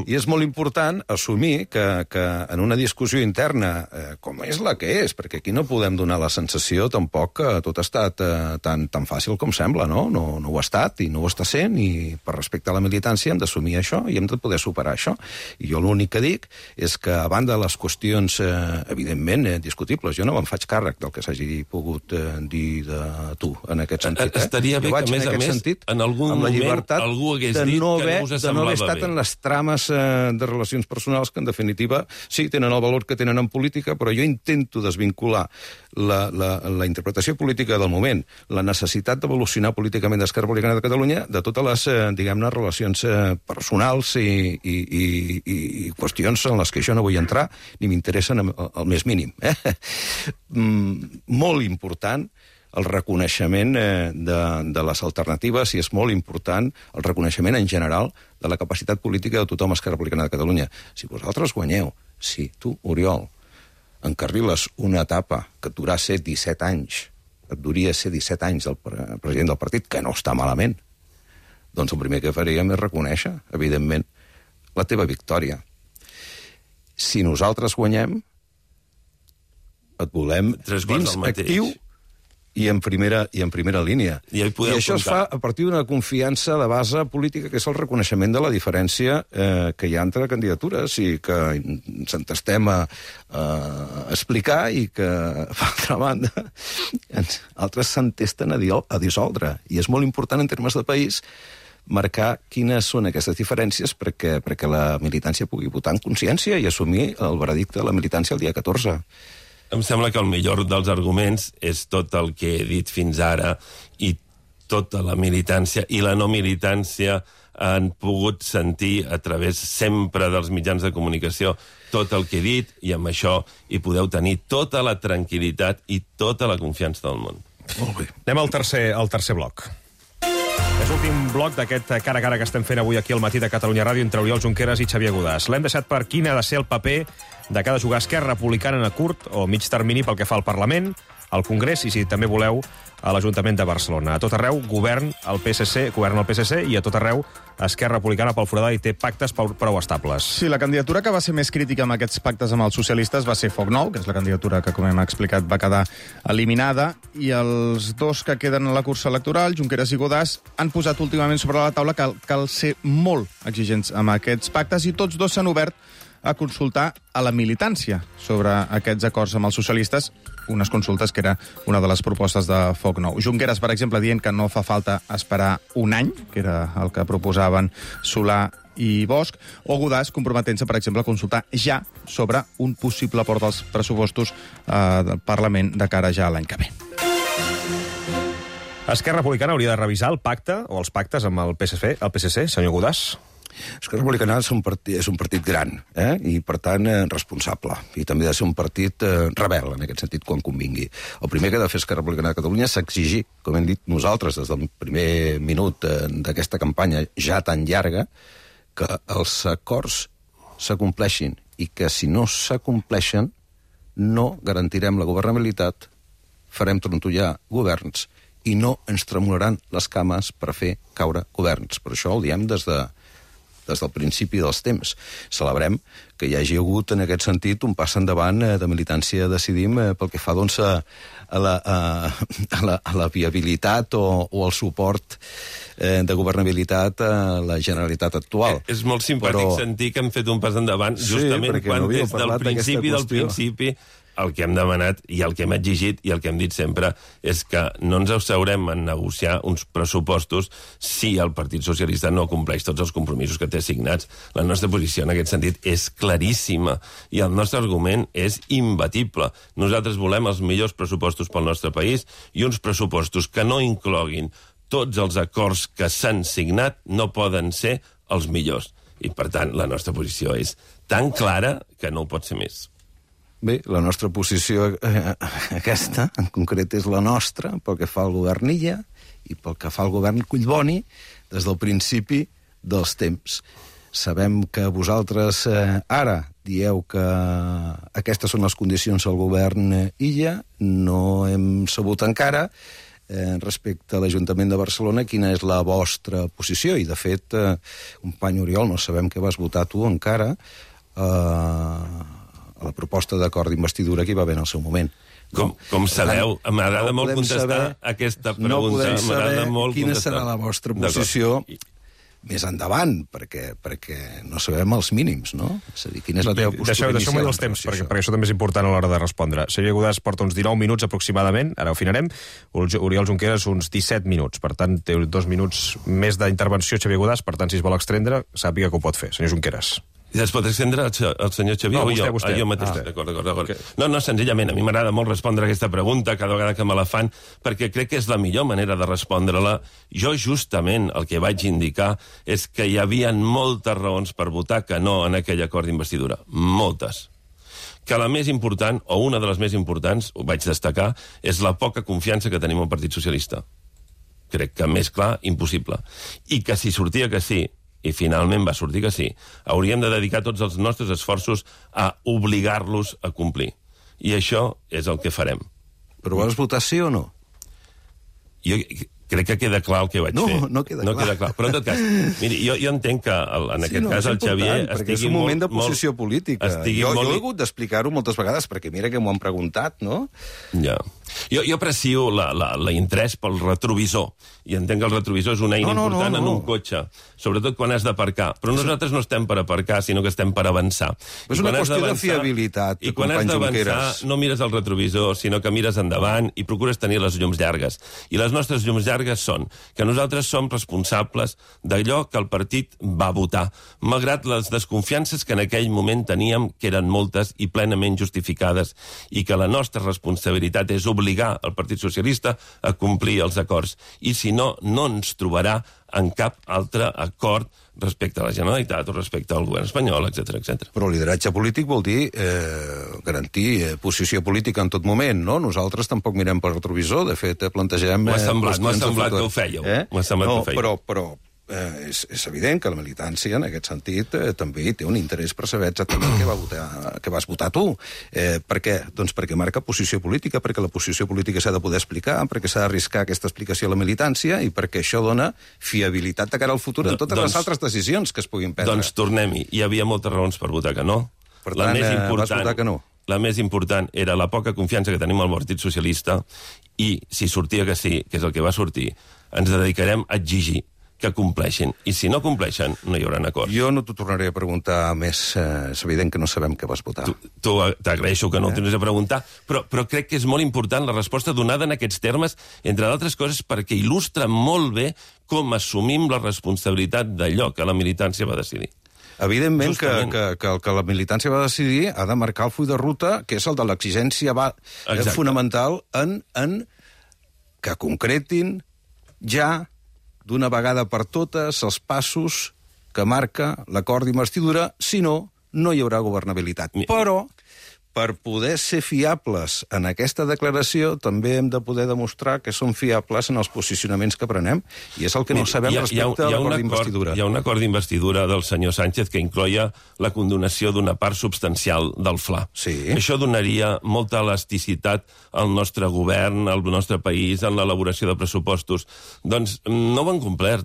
i és molt important assumir que, que en una discussió interna, eh, com és la que és, perquè aquí no podem donar la sensació tampoc que tot ha estat eh, tan, tan fàcil com sembla, no? No, no ho ha estat i no ho està sent, i per respecte a la militància hem d'assumir això i hem de poder superar això. això. I jo l'únic que dic és que, a banda de les qüestions, eh, evidentment, eh, discutibles, jo no me'n faig càrrec del que s'hagi pogut eh, dir de tu, en aquest sentit. Eh? Estaria bé que, a més a més, sentit, en algun moment algú hagués dit no haver, que no us de no haver estat bé. en les trames eh, de relacions personals que, en definitiva, sí, tenen el valor que tenen en política, però jo intento desvincular la, la, la interpretació política del moment, la necessitat d'evolucionar políticament d'Esquerra Republicana de Catalunya, de totes les, eh, diguem-ne, relacions eh, personals i, i, i, i qüestions en les que jo no vull entrar, ni m'interessen al més mínim. Eh? Mm, molt important el reconeixement eh, de, de les alternatives, i és molt important el reconeixement en general de la capacitat política de tothom a Esquerra Republicana de Catalunya. Si vosaltres guanyeu, si tu, Oriol, encarriles una etapa que et durà ser disset anys, et duria ser disset anys del president del partit, que no està malament, doncs el primer que faríem és reconèixer, evidentment, la teva victòria. Si nosaltres guanyem, et volem dins actiu i en primera, i en primera línia. I, I això es fa a partir d'una confiança de base política, que és el reconeixement de la diferència eh, que hi ha entre candidatures i que s'entestem a, a explicar i que, per altra banda, altres s'entesten a, a dissoldre. I és molt important en termes de país marcar quines són aquestes diferències perquè, perquè la militància pugui votar en consciència i assumir el veredicte de la militància el dia catorze. Em sembla que el millor dels arguments és tot el que he dit fins ara i tota la militància i la no militància han pogut sentir a través sempre dels mitjans de comunicació tot el que he dit, i amb això hi podeu tenir tota la tranquil·litat i tota la confiança del món. Molt bé. Anem al tercer, al tercer bloc. És l'últim bloc d'aquest cara a cara que estem fent avui aquí al matí de Catalunya Ràdio entre Oriol Junqueras i Xavier Godàs. L'hem deixat per quin ha de ser el paper de cada jugar Esquerra Republicana a curt o mig termini pel que fa al Parlament, al Congrés i, si també voleu, a l'Ajuntament de Barcelona. A tot arreu, govern el P S C, govern el P S C, i a tot arreu Esquerra Republicana pel foradar i té pactes prou estables. Sí, la candidatura que va ser més crítica amb aquests pactes amb els socialistes va ser Foc Nou, que és la candidatura que, com hem explicat, va quedar eliminada, i els dos que queden a la cursa electoral, Junqueras i Godàs, han posat últimament sobre la taula que cal, cal ser molt exigents amb aquests pactes, i tots dos s'han obert a consultar a la militància sobre aquests acords amb els socialistes, unes consultes que era una de les propostes de Foc Nou. Junqueras, per exemple, dient que no fa falta esperar un any, que era el que proposaven Solà i Bosch, o Godàs comprometent-se, per exemple, a consultar ja sobre un possible port dels pressupostos eh, del Parlament de cara ja a l'any que ve. Esquerra Republicana hauria de revisar el pacte o els pactes amb el P S C, el P S C, senyor Godàs? Esquerra Republicana és un partit, és un partit gran, eh? I, per tant, eh, responsable. I també ha de ser un partit eh, rebel, en aquest sentit, quan convingui. El primer que ha de fer Esquerra Republicana de Catalunya és exigir, com hem dit nosaltres des del primer minut eh, d'aquesta campanya ja tan llarga, que els acords s'acompleixin i que, si no s'acompleixen, no garantirem la governabilitat, farem trontollar governs i no ens tremolaran les cames per fer caure governs. Per això el diem des de des del principi dels temps. Celebrem que hi hagi hagut, en aquest sentit, un pas endavant eh, de militància Decidim eh, pel que fa, doncs, a, a, la, a, a, la, a la viabilitat o, o al suport eh, de governabilitat a la Generalitat actual. Eh, és molt simpàtic Però... sentir que hem fet un pas endavant justament sí, quan no des del principi del principi el que hem demanat i el que hem exigit i el que hem dit sempre és que no ens asseurem a negociar uns pressupostos si el Partit Socialista no compleix tots els compromisos que té signats. La nostra posició en aquest sentit és claríssima i el nostre argument és imbatible. Nosaltres volem els millors pressupostos pel nostre país i uns pressupostos que no incloguin tots els acords que s'han signat no poden ser els millors. I, per tant, la nostra posició és tan clara que no ho pot ser més. Bé, la nostra posició eh, aquesta, en concret, és la nostra pel que fa al govern Illa i pel que fa al govern Collboni des del principi dels temps. Sabem que vosaltres eh, ara dieu que aquestes són les condicions del govern Illa, no hem sabut encara eh, respecte a l'Ajuntament de Barcelona quina és la vostra posició, i de fet, eh, company Oriol, no sabem què vas votar tu encara, eh, a la proposta d'acord d'investidura que hi va haver en el seu moment. Com, com sabeu, m'agrada molt contestar aquesta pregunta. No podem saber molt quina contestar. serà la vostra posició més endavant, perquè, perquè no sabem els mínims, no? És a dir, quina és la teva postura deixeu, inicial? Deixeu-me els temps, perquè, perquè això també és important a l'hora de respondre. Xavier Godàs porta uns dinou minuts aproximadament, ara ho afinarem, Oriol Junqueras uns disset minuts, per tant té dos minuts més d'intervenció Xavier Godàs, per tant si es vol extendre, sàpiga que ho pot fer. Senyor Junqueras. I es pot extendre el senyor Xavier no, o vostè, jo? Vostè. Ah, jo mateix. Ah, d'acord, d'acord, d'acord. Okay. No, no, senzillament, a mi m'agrada molt respondre aquesta pregunta cada vegada que me la fan, perquè crec que és la millor manera de respondre-la. Jo justament el que vaig indicar és que hi havia moltes raons per votar que no en aquell acord d'investidura. Moltes. Que la més important, o una de les més importants, ho vaig destacar, és la poca confiança que tenim al Partit Socialista. Crec que més clar, impossible. I que si sortia que sí, i finalment va sortir que sí, hauríem de dedicar tots els nostres esforços a obligar-los a complir. I això és el que farem. Però vas votar sí o no? Jo crec que queda clar el que vaig no, fer. No, queda no clar. queda clar. Però en tot cas, miri, jo, jo entenc que el, en sí, aquest no, cas el Xavier estigui és un moment molt, de posició molt, política. Jo, molt... jo he hagut d'explicar-ho moltes vegades, perquè mira que m'ho han preguntat, no? Ja. Jo, jo aprecio la, la, la interès pel retrovisor, i entenc que el retrovisor és una eina no, no, important no, no. en un cotxe, sobretot quan has d'aparcar. Però nosaltres no estem per aparcar, sinó que estem per avançar. És una qüestió de fiabilitat, I quan has d'avançar no mires el retrovisor, sinó que mires endavant i procures tenir les llums llargues. I les nostres llums llargues són que nosaltres som responsables d'allò que el partit va votar, malgrat les desconfiances que en aquell moment teníem, que eren moltes i plenament justificades, i que la nostra responsabilitat és obligar el Partit Socialista a complir els acords. I si no, no ens trobarà en cap altre acord respecte a la Generalitat o respecte al govern espanyol, etcètera, etcètera. Però lideratge polític vol dir eh, garantir eh, posició política en tot moment, no? Nosaltres tampoc mirem pel retrovisor, de fet, eh, plantegem... M'ha semblat, m'ha semblat que ho fèieu. Eh? M'ha semblat no, que ho fèieu. Però, però eh, és, és evident que la militància, en aquest sentit, eh, també té un interès per saber exactament què, va votar, què vas votar tu. Eh, per què? Doncs perquè marca posició política, perquè la posició política s'ha de poder explicar, perquè s'ha d'arriscar aquesta explicació a la militància i perquè això dona fiabilitat de cara al futur en totes doncs, les altres decisions que es puguin prendre. Doncs tornem-hi. Hi havia moltes raons per votar que no. Per tant, la més important, eh, vas votar que no. La més important era la poca confiança que tenim al Partit Socialista i, si sortia que sí, que és el que va sortir, ens dedicarem a exigir que compleixin. I si no compleixen, no hi haurà acords. Jo no t'ho tornaré a preguntar més. Eh, és evident que no sabem què vas votar. Tu, tu t'agraeixo que no eh? ho tinguis a preguntar, però, però crec que és molt important la resposta donada en aquests termes, entre d'altres coses, perquè il·lustra molt bé com assumim la responsabilitat d'allò que la militància va decidir. Evidentment que, que, que el que la militància va decidir ha de marcar el full de ruta, que és el de l'exigència eh, fonamental en, en que concretin ja d'una vegada per totes els passos que marca l'acord d'investidura, si no, no hi haurà governabilitat. Però, per poder ser fiables en aquesta declaració, també hem de poder demostrar que som fiables en els posicionaments que prenem, i és el que no sabem ha, respecte ha, ha a l'acord d'investidura. Hi ha un acord d'investidura del senyor Sánchez que incloia la condonació d'una part substancial del F L A. Sí. Això donaria molta elasticitat al nostre govern, al nostre país, en l'elaboració de pressupostos. Doncs no ho han complert.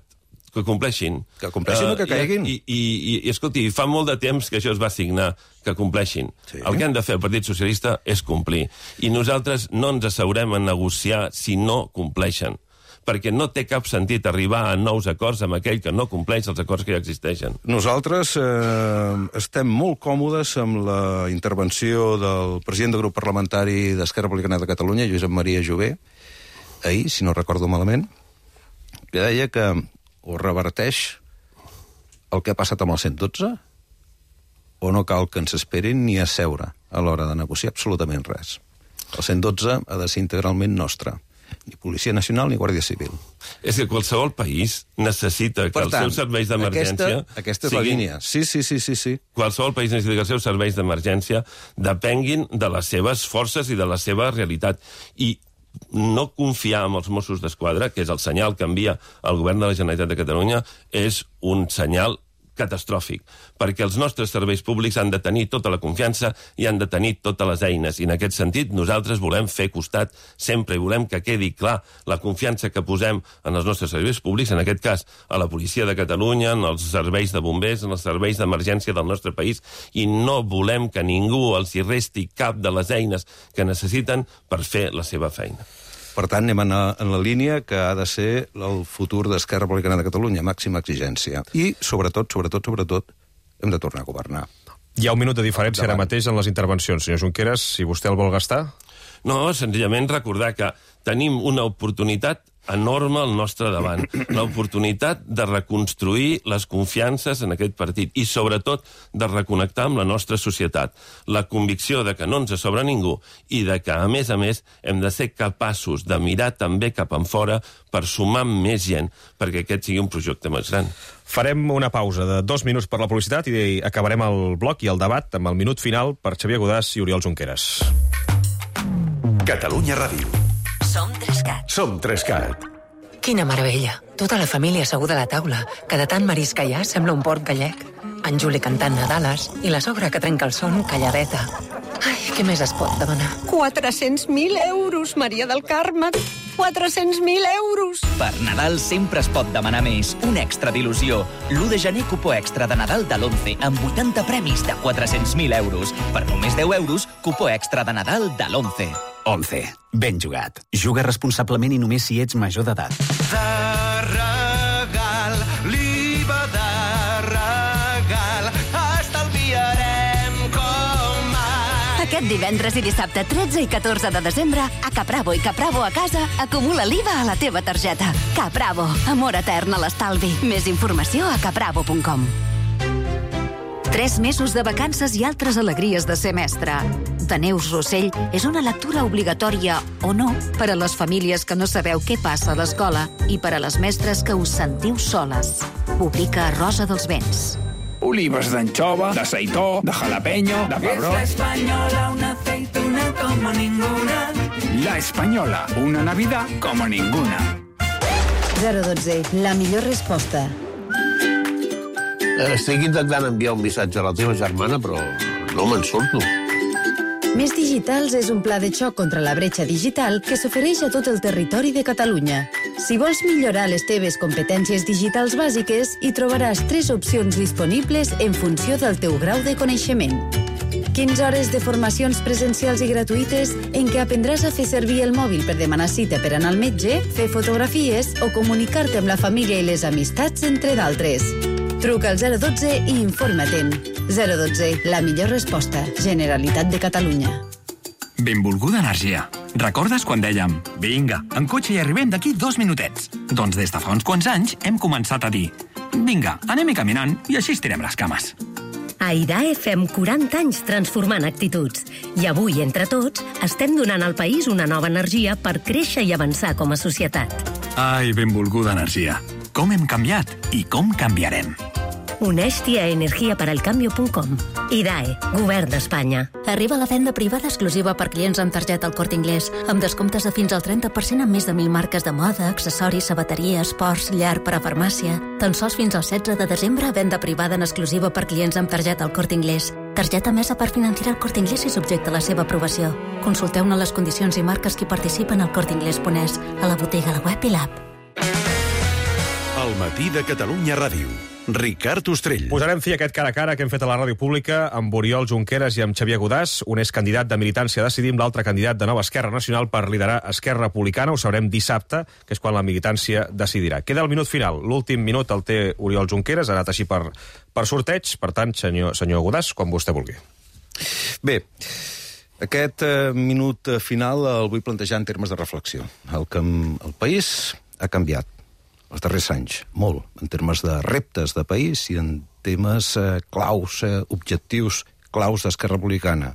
Que compleixin. Que compleixin uh, o que caiguin. I, i, i, i escolti, fa molt de temps que això es va signar, que compleixin. Sí. El que han de fer el Partit Socialista és complir. I nosaltres no ens asseurem a negociar si no compleixen. Perquè no té cap sentit arribar a nous acords amb aquell que no compleix els acords que ja existeixen. Nosaltres eh, estem molt còmodes amb la intervenció del president del grup parlamentari d'Esquerra Republicana de Catalunya, Josep Maria Jové, ahir, si no recordo malament, que deia que o reverteix el que ha passat amb el cent dotze, o no cal que ens esperin ni a seure a l'hora de negociar absolutament res. El cent dotze ha de ser integralment nostre. Ni Policia Nacional ni Guàrdia Civil. És que qualsevol país necessita que per tant, els seus serveis d'emergència... Aquesta, aquesta és la línia. Sí, sí, sí, sí, sí. Qualsevol país necessita que els seus serveis d'emergència depenguin de les seves forces i de la seva realitat. I no confiar en els Mossos d'Esquadra, que és el senyal que envia el govern de la Generalitat de Catalunya, és un senyal catastròfic, perquè els nostres serveis públics han de tenir tota la confiança i han de tenir totes les eines. I en aquest sentit nosaltres volem fer costat sempre i volem que quedi clar la confiança que posem en els nostres serveis públics, en aquest cas a la Policia de Catalunya, en els serveis de bombers, en els serveis d'emergència del nostre país, i no volem que ningú els hi resti cap de les eines que necessiten per fer la seva feina. Per tant, anem en la, en la línia que ha de ser el futur d'Esquerra Republicana de Catalunya, màxima exigència. I, sobretot, sobretot, sobretot, hem de tornar a governar. Hi ha un minut de diferència ara mateix en les intervencions. Senyor Junqueras, si vostè el vol gastar... No, senzillament recordar que tenim una oportunitat enorme al nostre davant. L'oportunitat de reconstruir les confiances en aquest partit i, sobretot, de reconnectar amb la nostra societat. La convicció de que no ens sobra ningú i de que, a més a més, hem de ser capaços de mirar també cap enfora per sumar més gent perquè aquest sigui un projecte més gran. Farem una pausa de dos minuts per la publicitat i acabarem el bloc i el debat amb el minut final per Xavier Godàs i Oriol Junqueras. Catalunya Ràdio. Som Trescat. Som Trescat. Quina meravella. Tota la família asseguda a la taula, que de tant marisc que hi ha sembla un port gallec. En Juli cantant Nadales i la sogra que trenca el son calladeta. Ai, què més es pot demanar? quatre-cents mil euros, Maria del Carme. quatre-cents mil euros. Per Nadal sempre es pot demanar més. Un extra d'il·lusió. l'u de gener, cupó extra de Nadal de l'Once, amb vuitanta premis de quatre-cents mil euros. Per només deu euros, cupó extra de Nadal de l'Once. Once. Ben jugat. Juga responsablement i només si ets major d'edat. De regal, l'I V A de regal, estalviarem com mai. Aquest divendres i dissabte tretze i catorze de desembre, a Capravo i Capravo a casa, acumula l'I V A a la teva targeta. Capravo, amor etern a l'estalvi. Més informació a capravo punt com. Tres mesos de vacances i altres alegries de ser mestre. De Neus Rossell és una lectura obligatòria, o no, per a les famílies que no sabeu què passa a l'escola i per a les mestres que us sentiu soles. Publica Rosa dels Vents. Olives d'anxova, de seitó, de jalapeño, de pebrot. Es la Española, una aceituna como ninguna. La Española, una Navidad como ninguna. zero dotze, la millor resposta. Estic intentant enviar un missatge a la teva germana, però no me'n surto. Més Digitals és un pla de xoc contra la bretxa digital que s'ofereix a tot el territori de Catalunya. Si vols millorar les teves competències digitals bàsiques, hi trobaràs tres opcions disponibles en funció del teu grau de coneixement. quinze hores de formacions presencials i gratuïtes en què aprendràs a fer servir el mòbil per demanar cita per anar al metge, fer fotografies o comunicar-te amb la família i les amistats, entre d'altres. Truca al zero dotze i informa-te'n. zero dotze, la millor resposta. Generalitat de Catalunya. Benvolguda energia. Recordes quan dèiem vinga, en cotxe hi arribem d'aquí dos minutets? Doncs des de fa uns quants anys hem començat a dir vinga, anem-hi caminant i així estirem les cames. A I D A E fem quaranta anys transformant actituds. I avui, entre tots, estem donant al país una nova energia per créixer i avançar com a societat. Ai, benvolguda energia. Com hem canviat i com canviarem. Uneix-t'hi a energia per al cambio punt com. I D A E, Govern d'Espanya. Arriba la venda privada exclusiva per clients amb targeta al Corte Inglés, amb descomptes de fins al trenta per cent en més de mil marques de moda, accessoris, sabateria, esports, llar per a farmàcia. Tan sols fins al setze de desembre, venda privada en exclusiva per clients amb targeta al Corte Inglés. Targeta emesa per financiar el Corte Inglés i subjecte a la seva aprovació. Consulteu-ne les condicions i marques que participen al corte inglés punt es, a la botiga, a la web i l'app. El matí de Catalunya Ràdio. Ricard Ostrell. Posarem fi a aquest cara a cara que hem fet a la ràdio pública amb Oriol Junqueras i amb Xavier Godàs. Un és candidat de Militància Decidim, l'altre candidat de Nova Esquerra Nacional per liderar Esquerra Republicana. Ho sabrem dissabte, que és quan la militància decidirà. Queda el minut final. L'últim minut el té Oriol Junqueras, ha anat així per, per sorteig. Per tant, senyor, senyor Godàs, quan vostè vulgui. Bé, aquest eh, minut final el vull plantejar en termes de reflexió. El, que el país ha canviat els darrers anys, molt, en termes de reptes de país i en temes eh, claus, eh, objectius claus d'Esquerra Republicana.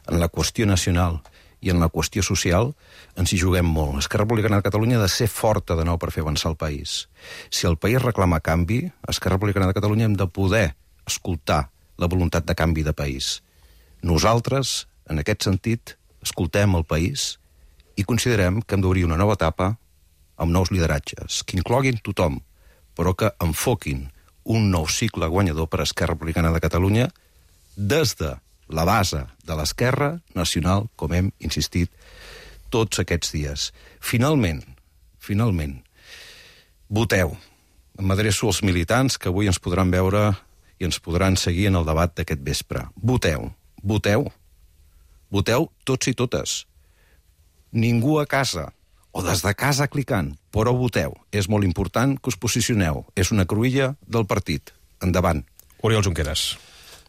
En la qüestió nacional i en la qüestió social ens hi juguem molt. Esquerra Republicana de Catalunya ha de ser forta de nou per fer avançar el país. Si el país reclama canvi, Esquerra Republicana de Catalunya hem de poder escoltar la voluntat de canvi de país. Nosaltres, en aquest sentit, escoltem el país i considerem que hem d'obrir una nova etapa amb nous lideratges, que incloguin tothom, però que enfoquin un nou cicle guanyador per a Esquerra Republicana de Catalunya des de la base de l'Esquerra Nacional, com hem insistit tots aquests dies. Finalment, finalment, voteu. M'adreço als militants que avui ens podran veure i ens podran seguir en el debat d'aquest vespre. Voteu, voteu, voteu tots i totes. Ningú a casa, o des de casa clicant, però voteu. És molt important que us posicioneu. És una cruïlla del partit. Endavant. Oriol Junqueras.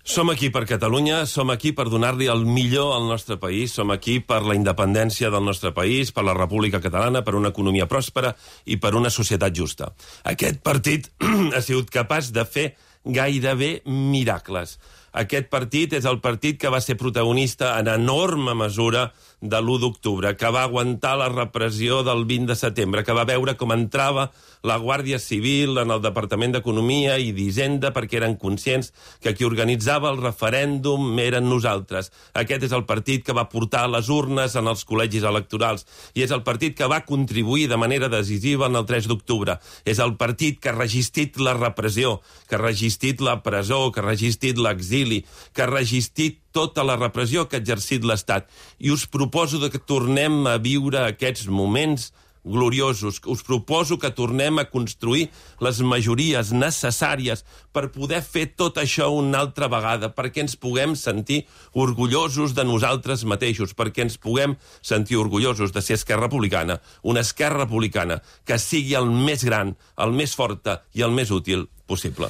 Som aquí per Catalunya, som aquí per donar-li el millor al nostre país, som aquí per la independència del nostre país, per la República Catalana, per una economia pròspera i per una societat justa. Aquest partit ha sigut capaç de fer gairebé miracles. Aquest partit és el partit que va ser protagonista en enorme mesura de l'u d'octubre, que va aguantar la repressió del vint de setembre, que va veure com entrava la Guàrdia Civil en el Departament d'Economia i d'Hisenda perquè eren conscients que qui organitzava el referèndum eren nosaltres. Aquest és el partit que va portar les urnes en els col·legis electorals i és el partit que va contribuir de manera decisiva en el tres d'octubre. És el partit que ha resistit la repressió, que ha resistit la presó, que ha resistit l'exili, que ha resistit tota la repressió que ha exercit l'Estat. I us proposo que tornem a viure aquests moments gloriosos. Us proposo que tornem a construir les majories necessàries per poder fer tot això una altra vegada, perquè ens puguem sentir orgullosos de nosaltres mateixos, perquè ens puguem sentir orgullosos de ser Esquerra Republicana, una Esquerra Republicana que sigui el més gran, el més forta i el més útil possible.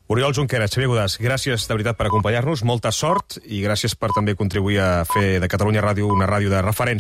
Oriol Junqueras, Xavier Godàs, gràcies de veritat per acompanyar-nos, molta sort i gràcies per també contribuir a fer de Catalunya Ràdio una ràdio de referència.